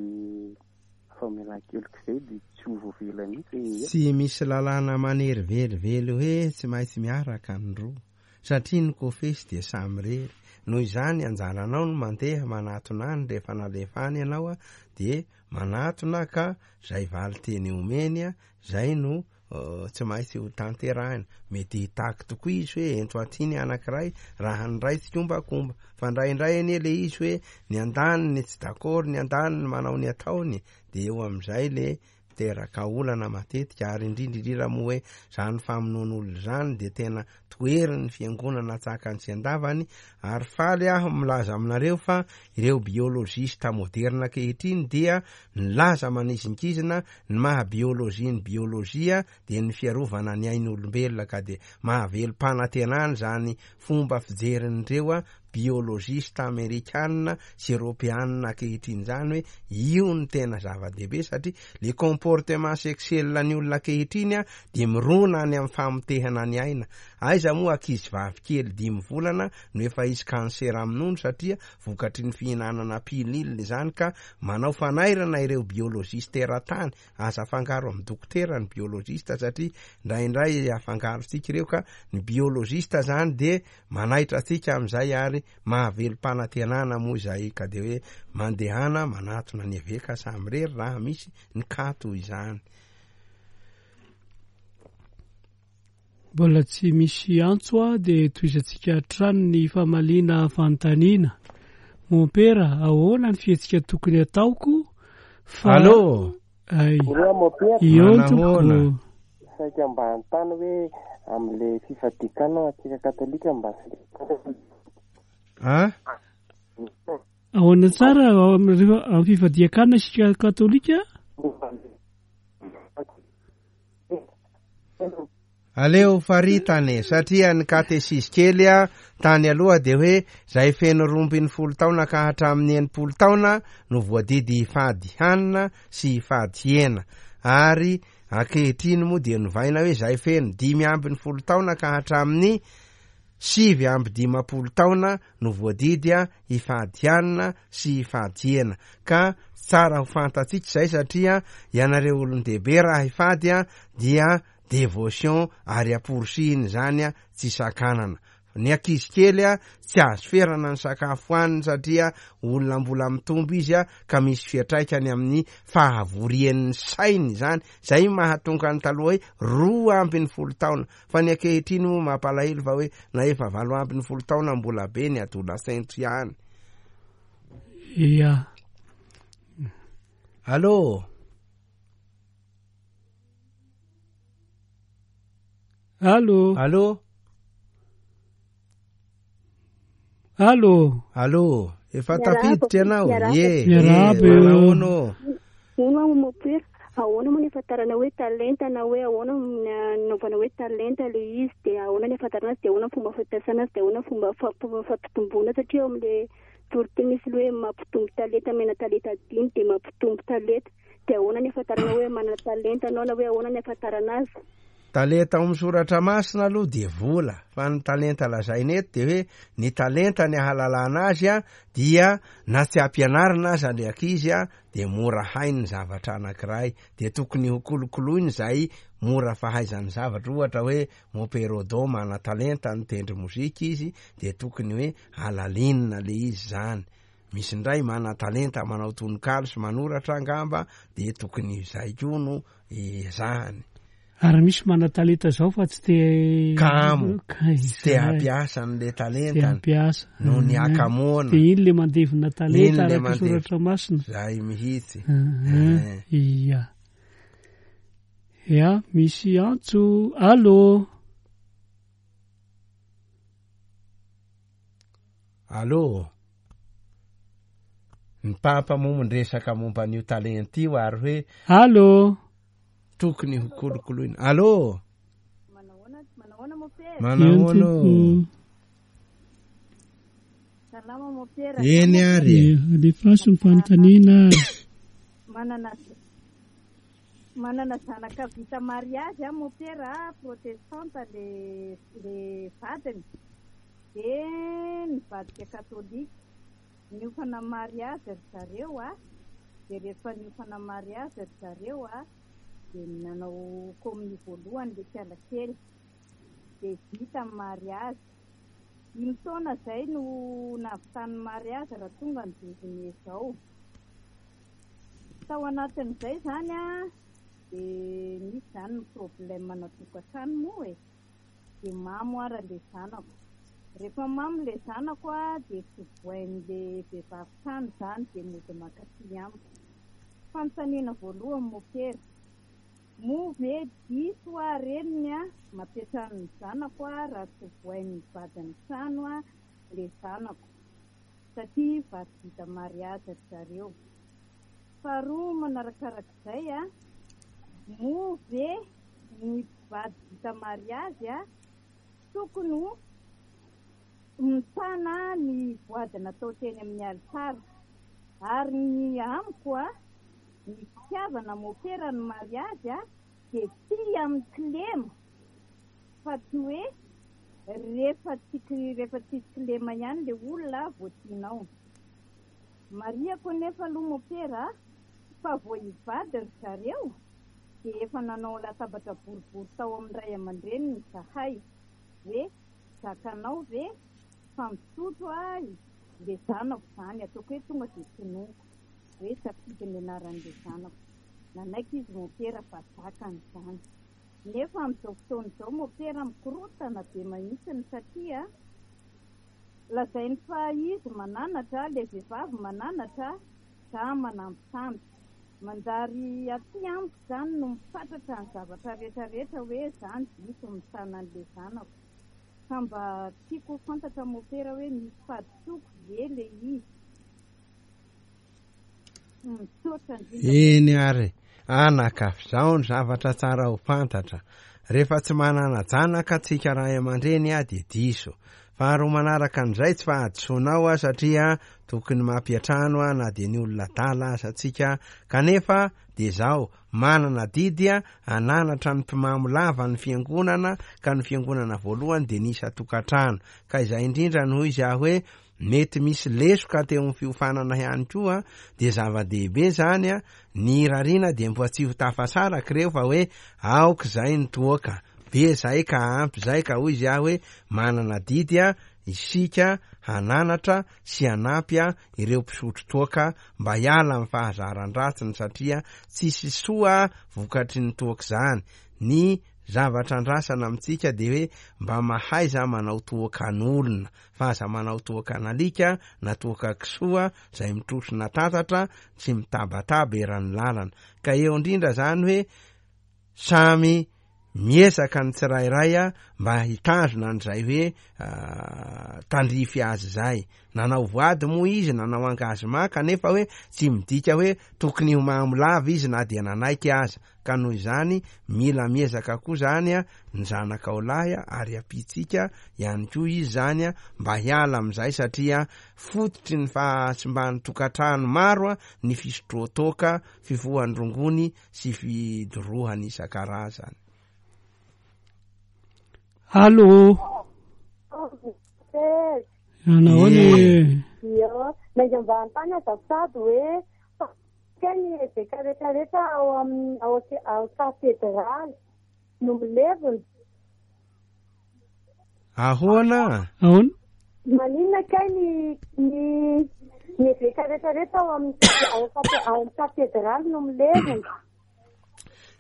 famelan-keloka izay dia tsy ho voavela mihitsy ny heloka. Tsy misy lalàna manery velively hoe tsy maintsy miaraka ny roa, satria ny kofesy dia samy rery. Noho izany anjaranao no mandeha manatona any rehefa nalefa any ianao a, dia manatona ka zay valin-teny omeny a, zay no, eh, tsy maintsy ho tanterahina. Mety hitaky tokoa izy hoe ento aty ny anankiray raha ny ray tsikombakomba, fa indraindray anie le izy hoe ny andaniny tsy d'accord, ny andaniny manao ny ataony, dia eo amin'izay le mampiteraka olana matetika, ary indrindra indrindra moa hoe zany famonoan'olona zany de tena toherin'ny fiangonana tsakany sy andavany. Ary faly aho milaza aminareo fa ireo biologista moderna ankehitriny dia nilaza manizinkizina ny maha biolojia ny biolojia dia ny fiarovana ny ain'olombelona, ka de mahavelom-panantenana zany fomba fijerin'ireo a biologista amerikana sy eropeana ankehitriny zany hoe io ny tena zava-dehibe, satria le comportement sexuel ny olona ankehitriny a de mirona any amin'ny famotehana ny aina. Aiza moa ankizy vavy kely dimy volana no efa izy kansera amin'ny nono satria vokatry ny fihinanana pilule zany, ka manao fanairana ireo biologiste eran-tany. Aza afangaro amin'ny dokotera ny biologiste satria indraindray afangarontsika ireo, ka ny biologiste zany de manaitra antsika amin'izay ary mahavelom-panantenana moa izay, ka de hoe mandehana manatona ny eveka samirery raha misy ny kato izany. Mbola tsy misy antso a de tohizantsika hatrany ny famaliana fanontaniana. Mompera, ahoana ny fihetsika tokony ataoko fa Allô? Ay. Bonjour, mompera. Eo Manahoana? tompoko. Saika mba hanontany hoe amin'le fifadian-kanina antsika katolika mba Ah? Ahoana tsara amin'ny amin'ny fifadian-kanina isika katolika? Aleo faritany satria ny katesizy kely a tany aloha de hoe zay feno roa ambin'ny folo taona ka hatramin'ny enimpolo taona no voadidy hifady hanina sy hifady hena, ary ankehitriny moa dia novaina hoe zay feno dimy ambin'ny folo taona ka hatramin'ny sivy amby dimampolo taona no voadidy a hifady hanina sy hifady hena. Ka tsara ho fantatsika izay satria ianareo olon-dehibe raha hifady a dia dévotion ary amporisihina izany a tsy sakanana. Ny ankizy kely a tsy azo ferana ny sakafo hohaniny satria olona mbola mitombo izy a ka misy fiantraikany amin'ny fahavorian'ny sainy izany. Zay mahatonga ny taloha hoe roa ambin'ny folo taona, fa ny ankehitriny moa mampalahelo fa hoe na efa valo ambin'ny folo taona mbola be ny adolescente ihany. Ia. Allô? Allô? Allô? Allô? Allô? Efa Miarahaba, tafiditra ianao? miarahaba. Ye, Miarahaba. ye, manahoana ô? Hono aho mompera, ahoana moa ny ahafantarana hoe talenta na hoe ahoana ny anaovana hoe talenta le izy, de ahoana ny ahafantarana azy, de ahoana ny fomba fampiasana azy, de ahoana ny fomba fa-, fomba fampitomboana, satria eo amin'le toriteny misy le hoe mampitombo talenta, mena talenta dimy de mampitombo talenta, de ahoana ny ahafantarana hoe manana talenta anao na hoe ahoana ny ahafantarana azy? Talenta ao amin'ny soratra masina aloha de vola, fa ny talenta lazaina eto de hoe ny talenta ny ahalalana azy a dia na tsy ampianarina aza le ankizy a de mora hainy ny zavatra anankiray, de tokony ho kolokoloiny izay mora fahaizany zavatra. Ohatra hoe Mompera Odo mana talenta nitendry mozika izy de tokony hoe alalinina le izy zany. Misy indray mana talenta manao tononkalo sy manoratra angamba de tokony izay koa no ezahany. Ary misy mana talenta zao fa tsy te Kamo. Ka Tsy te izay. hampiasa an'le Tsy te talentany. hampiasa. Noho ny Ah. hakamoana. De iny le mandevina talenta Iny le araka mandevina. soratra masina. Zay mihitsy. Ah, Eh. ia. Ia, misy antso. Allô? Allô? Ny papa moa miresaka momba an'io talenta io ary hoe Allô? tokony ho kolokoloina. Allô? Manahoana, manahoana mompera? Manahoana ô? Mm. Salama mompera. Eny ary. Ia, alefaso ny fanontaniana. Manana manana zanaka vita mariazy a mompera, protestanta le, le vadiny. De nivadika katolika. Niofana mariazy ry zareo a. De rehefa niofana mariazy ry zareo a, de nanao kominio voalohany le kiala kely. De vita ny mariazy. Dimy taona zay no nahavitany mariazy raha tonga ny douze mai zao. Tao anatin'izay zany a, de nisy zany ny problème natokantrano moa e. De mamo ara le zanako. Rehefa mamo le zanako a, de tsy voain'le vehivavy trano zany, de mody mankaty amiko. Fanontaniana voalohany mompera, Moa ve diso aho reniny a mampiantrano ny zanako a raha tsy vohain'ny vadin'ny trano a le zanako satria vady vita mariazy ry zareo. Faharoa manarakarak'izay a, moa ve ny mpivady vita mariazy a tokony ho mitana ny voady natao teny amin'ny alitara? Ary ny amiko a, ny fitiavana mopera ny mariazy a dia tia amin'ny kilema, fa tsy hoe rehefa tsy rehefa tsisy kilema ihany le olona vao tianao. Marihako nefa aloha mopera fa vao hivady ry zareo dia efa nanao latabatra boribory tao amin'ny ray aman-dreniny zahay hoe zakanao ve fa misotro a le zanako zany, ataoko hoe tonga dia tononiko hoe safidy ny anaran'le zanako. Nanaiky izy mopera fa zakany izany. Nefa amin'izao fotoana izao mopera mikorotana be mihitsy satria lazainy fa izy mananatra, le vehivavy mananatra, za manambitamby. Manjary aty amiko izany no mifatratra ny zavatra rehetrarehetra hoe zany diso mitana an'le zanako. Ka mba tiako ho fantatra mopera hoe misy fahadisoako ve le izy? Misaotra indrindra. Eny ary, anaka, zao ny zavatra tsara ho fantatra. Rehefa tsy manana janaka tsika ray aman-dreny a dia diso. Faharoa manaraka an'izay tsy fahadisoanao a satria tokony mampiantrano a na dia ny olona adala aza tsika, kanefa dia zao manana didy a ananatra ny mpimamo lava ny fiangonana, ka ny fiangonana voalohany dia ny isan-tokantrano. Ka izay indrindra no izy aho hoe mety misy lesoka teo amin'ny fiofanana ihany koa, dia zava-dehibe zany a, ny rariana dia mbola tsy ho tafasaraka ireo fa hoe aoka izay ny toaka be zay ka ampy zay, ka hoy izy aho hoe manana didy a isika hananatra sy hanampy a ireo mpisotro toaka mba hiala amin'ny fahazaran-dratsiny satria tsisy soa vokatry ny toaka izany. Ny zavatra andrasana amintsika dia hoe mba mahaiza manao toakan'olona fa aza manao toakan'alika na toaka kisoa izay mitrosona tatatra sy mitabataba eran'ny lalana. Ka eo indrindra zany hoe samy miezaka ny tsirairay a mba hitazona an'izay hoe tandrify azy izay. Nanao voady moa izy, nanao engagement, kanefa hoe tsy midika hoe tokony ho mamo lava izy na dia nanaiky aza. Ka noho izany mila miezaka koa zany a ny zanakao lahy a, ary ampitsika ihany koa izy zany a mba hiala amin'izay satria fototry ny fahasimban'ny tokantrano maro a ny fisotroan-toaka, fifohan-drongony sy fidorohana isan-karazany. Allô. Nahoana e? Io, mainga mba hanontany azafady hoe fa ny eveka rehetrarehetra ao amin'ny ao ao katedraly no milevina? Ahoana? Ahoana? Maninona kay ny ny ny eveka rehetrarehetra ao amin'ny ao ao amin'ny katedraly no milevina?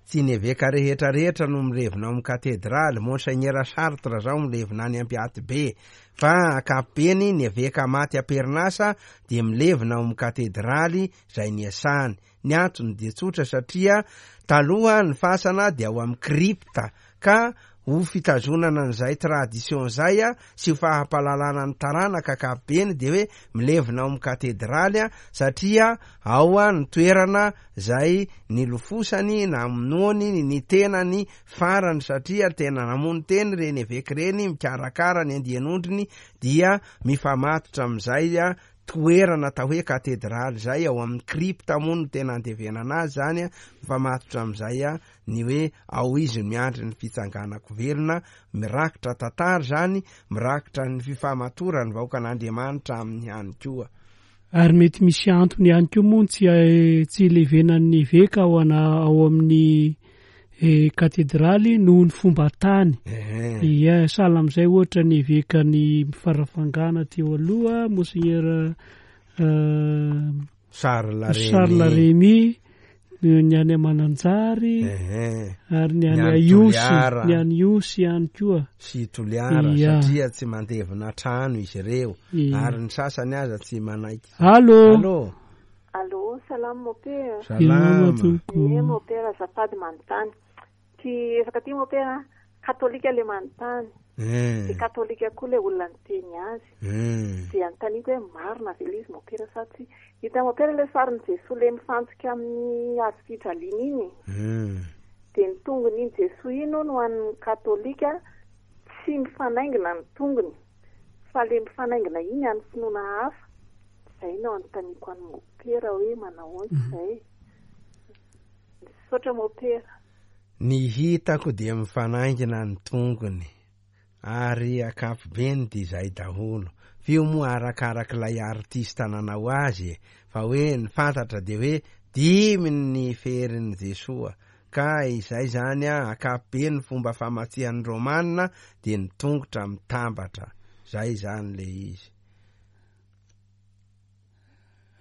Tsy ny eveka rehetrarehetra no milevina ao amin'ny katedraly. Monseigneur Sartre zao milevina any Ampiatibe, fa ankapobeny ny eveka maty am-perinasa dia milevina ao amin'ny katedraly izay niasany. Ny antony dia tsotra satria taloha ny fasana dia ao amin'ny kripta, ka ho fitazonana an'izay tradition zay a sy ho fahampahalalana ny taranaka ankapobeny dia hoe milevina ao amin'ny katedraly a, satria ao a ny toerana zay nilofosany namonoany ny tenany farany, satria tena namono teny reny eveka reny mikarakara ny andian'ondriny, dia mifamatotra amin'izay a toerana atao hoe katedraly zay ao amin'ny kripta moa no tena andevenana azy zany a, mifamatotra amin'izay a ny hoe ao izy miandry ny fitsanganako velona, mirakitra tantara zany, mirakitra ny fifamatoran'ny vahoakan'Andriamanitra aminy ihany koa. Ary mety misy antony ihany koa moa tsy, tsy ilevenan'ny eveka ao ana, ao amin'ny e, katedraly noho ny fomba tany. Ia, sahala amin'izay ohatra ny eveka ny Farafangana teo aloha, Monseigneur, euh, Charles Rémy. Charles Rémy, ny any Mananjary, ary ny any Ny any Ihosy, Toliara. ny any Ihosy ihany koa. Sy Toliara, Ia. satria tsy mandevina trano izy ireo, Ia. ary ny sasany aza tsy manaiky. Allô? Allô? Allô, salam mopera. Salama. tompoko. Ie, mopera, azafady manontany. Ty resaka ty mopera katolika le manontany. Eh. Dia katolika koa le olona niteny azy. Eh. Dia anontaniako hoe marina ve ilay izy mopera sa tsy. Hita mopera ilay sarin'i Jesoa le mifantsika amin'ny hazo fijaliana iny. Eh. Dia ny tongony iny Jesoa iny hono ho an'ny katolika tsy mifanaingina ny tongony. Fa le mifanaingina iny an'ny finoana hafa. Izay no anontaniako an'i mopera hoe manao ahoana izay. Misaotra mopera. Ny hitako dia mifanaingina ny tongony ary ankapobeny dia izay daholo. F'io moa arakarak'ilay artista nanao azy e, fa hoe ny fantatra dia hoe dimy ny ferin'i Jesoa ka izay zany a ankapobeny fomba famatsian'ny Romana dia ny tongotra mitambatra. Zay zany le izy.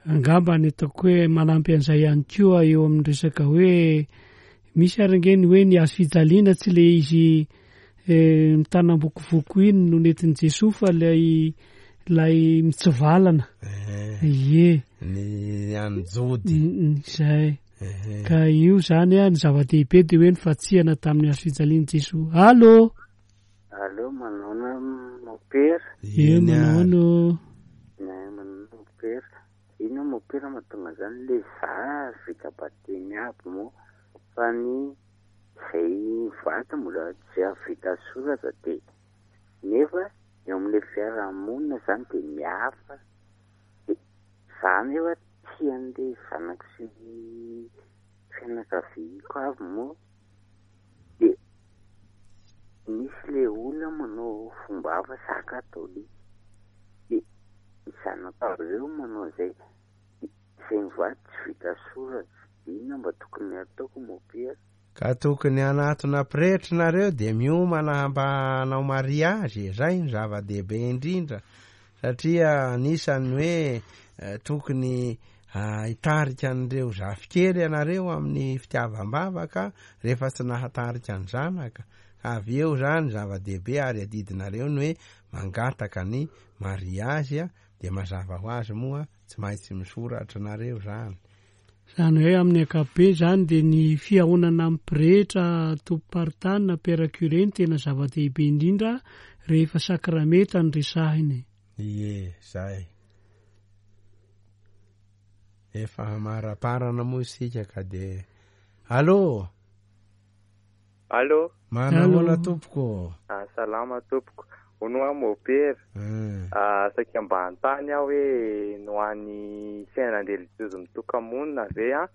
Angamba ny ataoko hoe manampy an'izay ihany koa eo amin'ny resaka hoe misy ary ange ny hoe ny hazo fijaliana tsy le izy eh, mitanam-bokovoko iny no nentin'i Jesoa fa lay lay mitsivalana. Eh, Ie. Ny an'ny Jody. Mm, mm, Izay. Eh, Ka io zany a ny zava-dehibe dia hoe ny fatsihana tamin'ny hazo fijalian'i Jesoa. Allô? Allô, manaona mopera? Ie, Eny manao ary. ahoana? Ne, manaona mopera. Ino mopera mahatonga zany le za vita batemy aby moa fa ny zay vato mbola tsy vita soratra de nefa eo amin'le fiarahamonina zany de mihafa de za nefa tian'le zanako sy ny fianakaviako avy moa de misy le olona manao fomba hafa za katolika de ny zanako avy reo manao zay zay mivady tsy vita soratra inona mba tokony ataoko mopera? Ka tokony hanatona pretra nareo dia miomana mba hanao mariazy, zay ny zava-dehibe indrindra satria anisan'ny hoe eh, tokony ah, hitarika an'ireo zafikely ianareo amin'ny fitiavam-bavaka rehefa tsy nahatarika ny zanaka. Avy eo zany zava-dehibe ary adidinareo ny hoe mangataka ny mariazy a, dia mazava ho azy moa tsy maintsy misoratra nareo zany. Zany hoe amin'ny ankapobe zany dia ny fihaonana amin'ny pretra, tompom-paritany na père curé no tena zava-dehibe indrindra rehefa sakramenta no resahiny. Ie, zay. Efa hamaraparana moa isika ka de Allô? Allô? Manahoana tompoko? Ah, salama tompoko. Hono aho mopera. Mm. Ah, saika mba hanontany aho hoe no an'ny fiainan-drelijiozy mitoka-monina ve a?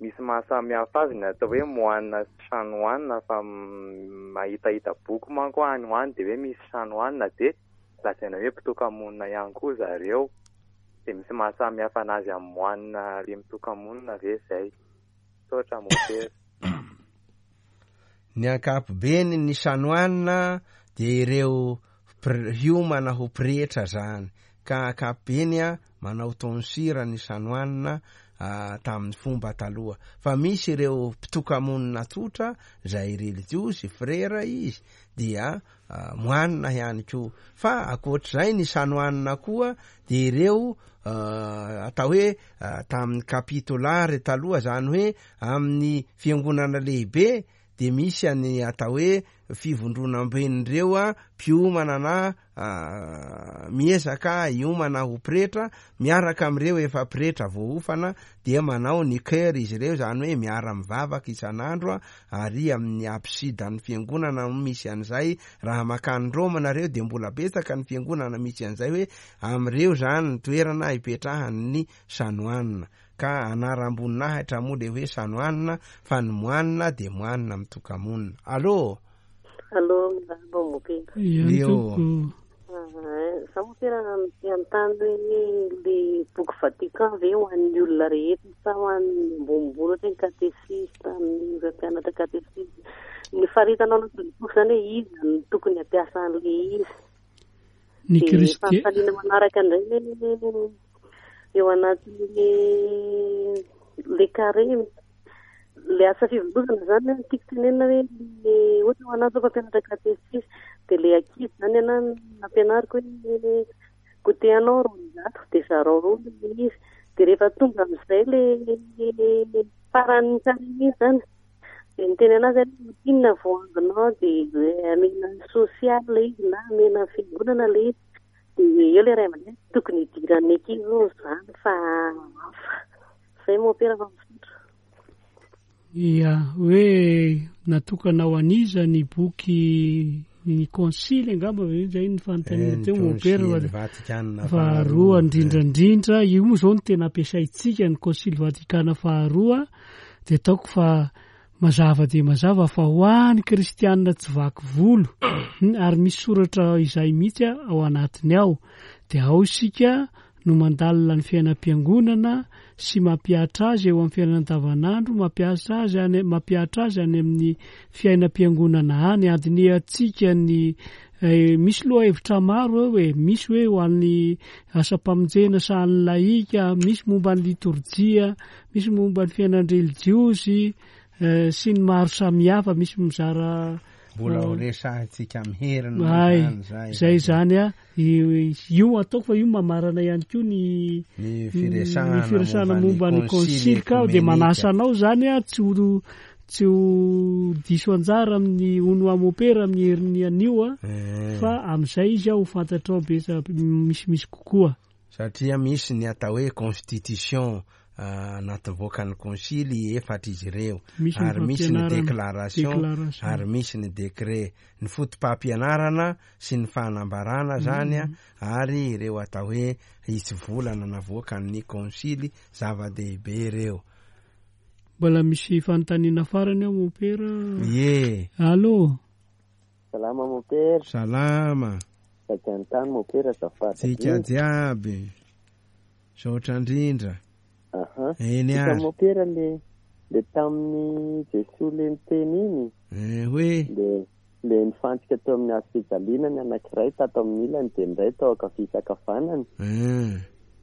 Misy mahasamihafa azy ny atao hoe moanina sy chanoine fa m- mahitahita boky manko aho any ho any dia hoe misy chanoine dia lazaina hoe mpitoka-monina ihany koa zareo. Dia misy mahasamihafa anazy amin'ny moanina le mitoka-monina ve zay? Misaotra mopera. Ny ankapobeny ny chanoine dia ireo pre- hiomana ho pretra zany ka ankapobeny a manao tonsira ny chanoine ah, tamin'ny fomba taloha fa misy ireo mpitoka-monina tsotra zay relijiozy frera izy dia ah, moanina ihany koa fa ankoatr'izay ny chanoine koa dia ireo ah, atao hoe ah, tamin'ny kapitolary taloha zany hoe amin'ny fiangonana lehibe dia misy any atao hoe fivondronam-ben'ireo a mpiomana na ah, miezaka hiomana ho pretra miaraka amin'ireo efa pretra voaofana dia manao ny chœur izy ireo zany hoe miara-mivavaka isan'andro a ary amin'ny absidan'ny fiangonana no misy an'izay. Raha makany Roma nareo dia mbola betsaka ny fiangonana misy an'izay hoe amin'ireo zany ny toerana hipetrahan'ny chanoine ka anaram-boninahitra moa le hoe chanoine fa ny moanina dia moanina mitoka-monina. Allô? Allô, miarahaba mopera. Leo. tompoko. Za mopera te hanontany hoe le boky Vatican ve ho an'ny olona rehetra sa ho an'ny ambonimbony ohatra hoe katesista, ny ireo mpianatra katesista. Ny faritana ao anatin'ny boky zany hoe iza no tokony hampiasa an'le izy. Ny Dia Kristy. fanontaniana manaraka indray hoe eo anatin'le le carême le asa fivondrozana zany no tiako tenenina hoe le ohatra ho anahy zao mpampianatra katesista dia le ankizy zany anahy nampianariko hoe goûter anao roanjato dia zarao roa le izy dia rehefa tonga amin'izay le faran'ny carême iny zany Dia niteny anazy hoe inona voangonao dia amena sosialy ilay izy na amena fiangonana ilay izy. Dia eo ilay ray aman-dreny tokony hidiran'ny ankizy hono izany fa hafa. Izay mompera fa misaotra. Ia, hoe natokana ho an'iza ny boky ny konsily angamba ve izay ny fanontaniana teo mompera Konsily Vatikana faharoa indrindra indrindra io moa izao no tena ampiasaintsika ny konsily Vatikana faharoa dia ataoko fa mazava dia mazava fa ho an'ny kristianina tsy vaky volo ary misy soratra izay mihitsy ao anatiny ao dia ao isika no mandalina ny fiainam-piangonana sy mampihatra azy eo amin'ny fiainana andavanandro, mampiasa azy any, mampihatra azy any amin'ny fiainam-piangonana any, andinihantsika ny eh, misy lohahevitra maro eo e, misy hoe ho an'ny asam-pamonjena sahan'ny lahika, misy momba ny litorjia, misy momba ny fiainan-drelijiozy eh, sy ny maro samihafa, misy mizara mbola ho resahintsika amin'ny heriny Ay, zany zay. zay zany a io ataoko fa io mamarana ihany koa ny Ny firesahana ny firesahana momba ny konsily konsily ka dia ekomenika. manasa anao zany a tsy ho tsy ho diso anjara amin'ny ono amopera amin'ny herin'ny anio a Eh. fa amin'izay izy a ho fantatrao besa misimisy kokoa. Satria misy ny atao hoe constitution ah, natovoakan'ny konsily efatra izy ireo Misy ny ary misy ny fampianarana, déclaration déclaration. ary misy ny décret ny foto-pampianarana sy ny fanambarana zany a ary ireo atao hoe hisy volana navoakan'ny konsily zava-dehibe ireo. Mbola misy fanontaniana farany ao mompera. Ie. Allô. Salama mompera. Salama. Saika an-tany mompera azafady. Tsika jiaby. Saotra indrindra. Aha. Eny Hita ary. mompera le le tamin'ny Jesoa le niteny iny. Eh, hoe Le le nifantsika teo amin'ny hazo fijaliana ny anankiray tato amin'ny ilany dia ny iray tao ankavia sy ankavanana. Eh.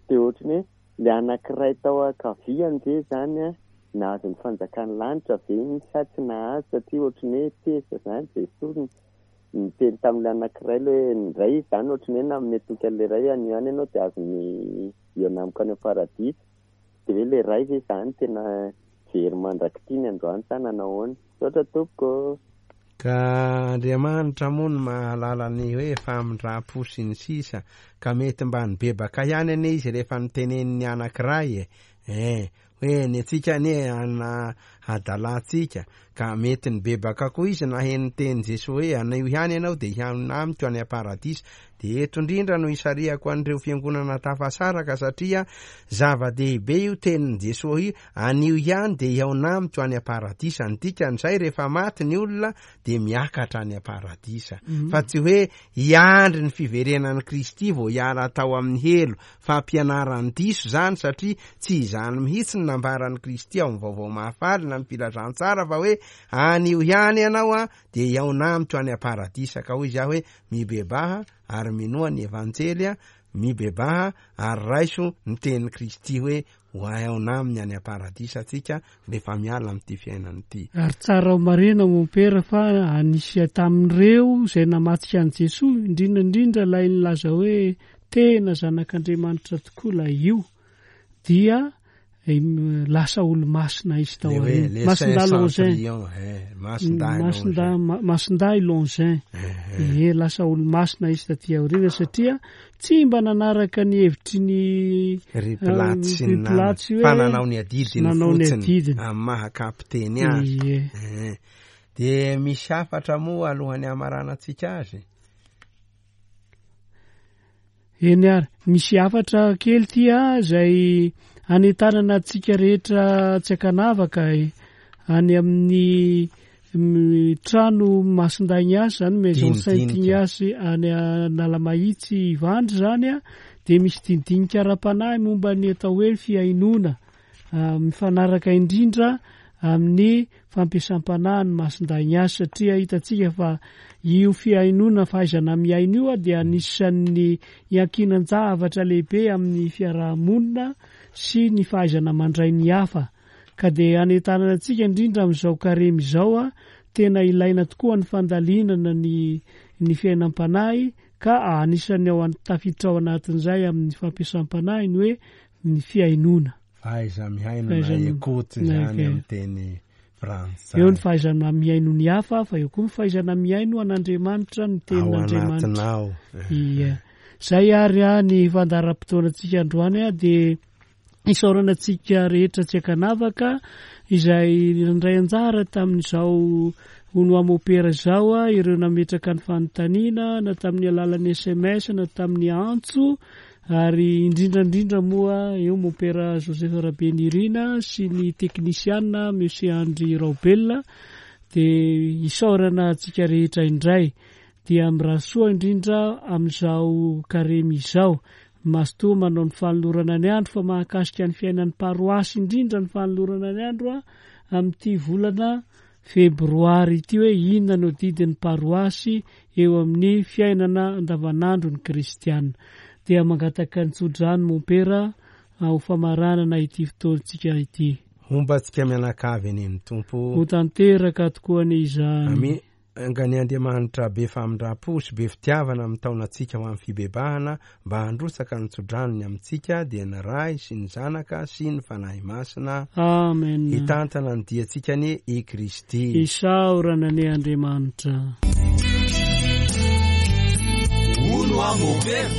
Dia ohatry ny hoe le anankiray tao ankaviany ve zany a nahazo ny fanjakan'ny lanitra ve iny sa tsy nahazo satria ohatry ny hoe tezitra zany Jesoa ny niteny tamin'ilay anankiray le hoe ny iray zany ohatry ny hoe nanome toky an'ilay iray anio ihany ianao dia azony eo amiko any amin'ny paradisa. Dia hoe ilay iray ve zany tena very mandrak'ity ny androany sa nanao ahoana? Misaotra tompoko. Ka Andriamanitra moa no mahalala ny hoe famindram-po sy ny sisa ka mety mba nibebaka ihany anie izy rehefa niteneniny anankiray e. Eh, hoe ny antsika anie ana adalantsika ka mety nibebaka koa izy naheno teny Jesoa hoe anio ihany ianao dia hihaona amiko any am-paradisa. Dia eto indrindra no isarihako an'ireo fiangonana tafasaraka satria zava-dehibe io tenin'i Jesoa io, anio ihany dia hihaona amiko any am-paradisa. Ny dikan'izay rehefa maty ny olona dia miakatra any am-paradisa. Mhm. Fa tsy hoe hiandry ny fiverenan'i Kristy vao hiala tao amin'ny helo. Fampianaran'ny diso zany satria tsy izany mihitsy ny nambaran'i Kristy ao amin'ny vaovao mahafaly na ny filazantsara fa hoe anio ihany ianao a dia hihaona amiko any am-paradisa. Ka hoy izy aho hoe mibebaha ary minoa ny evanjely a, mibebaha ary raiso ny tenin'i Kristy hoe ho hihaona aminy any am-paradisa antsika rehefa miala amin'ity fiainana ity. Ary tsara ho marina mompera fa anisy tamin'ireo izay namatsika an'i Jesoa indrindra indrindra ilay nilaza hoe tena zanak'Andriamanitra tokoa ilay io dia em, lasa olo-masina izy tao Le hoe aoriana. le Masindahy Saint Longin. Centurion, eh, Masindahy Masindahy Longin. Ma- Masindahy Longin. Eh, Ie, lasa olo-masina izy taty aoriana satria tsy mba nanaraka ny hevitry ny Ry Pilaty sy ny ry Pilaty namany. hoe Fa nanao ny adidiny nanao ny fotsiny adidiny. amin'ny maha kapiteny azy. Ie. Eh, Dia misy hafatra moa alohan'ny hamaranantsika azy. Eny ary, misy hafatra kely ty a izay anentanana antsika rehetra tsy ankanavaka e, any amin'ny mm, trano Masindahy Ignace zany, Maison Saint Dinidinika. Ignace any Analamahitsy Ivandry zany a, dia misy dinidinika ara-panahy momba ny atao hoe fihainoana, ah, mifanaraka indrindra amin'ny fampiasam-panahy ny Masindahy Ignace satria hitantsika fa io fihainoana fahaizana mihaino io a dia anisan'ny iankinan-javatra lehibe amin'ny fiarahamonina sy ny fahaizana mandray ny hafa. Ka dia anentanana antsika indrindra amin'izao karemy izao a, tena ilaina tokoa ny fandalinana ny, ny fiainam-panahy ka anisan'ny ao an-, tafiditra ao anatin'izay amin'ny fampiasam-panahy ny hoe ny fihainoana. Fahaiza mihaino na Fahaiza- écoute na zany écoute. amin'ny teny Frantsay. Eo ny fahaizana mihaino ny hafa, fa eo koa ny fahaizana mihaino an'Andriamanitra, ny Ao tenin'Andriamanitra. anatinao. Ia. Zay ary a ny fandaharam-potoanantsika androany a dia isaorana antsika rehetra tsy ankanavaka izay nandray anjara tamin'izao hono aho mopera izao a, ireo nametraka ny fanontaniana na tamin'ny alalan'ny S M S na tamin'ny antso, ary indrindra indrindra moa eo mopera Joseph Rabenirina sy ny teknisiana Monsieur Andry Raobelina, dia isaorana antsika rehetra indray. Dia mirary soa indrindra amin'izao karemy izao. Mazotoa manao ny fanolorana ny andro, fa mahakasika ny fiainan'ny paroasy indrindra ny fanolorana ny andro a, amin'ity volana febroary ity, hoe inona no didin'ny paroasy eo amin'ny fiainana andavanandro ny kristiana. Dia mangataka ny tsodrano mompera ho famaranana ity fotoantsika ity. Homba antsika mianakavy anie ny Tompo. Ho tanteraka tokoa anie izany. Amin. Angany Andriamanitra be famindram-po sy be fitiavana amin'ny taonantsika ho amin'ny fibebahana, mba handrotsaka ny tsodranony amintsika, dia ny Ray sy ny Zanaka sy ny Fanahy Masina. Amen. Hitantana ny diantsika anie i Kristy. Isaorana anie Andriamanitra. Hono aho mopera.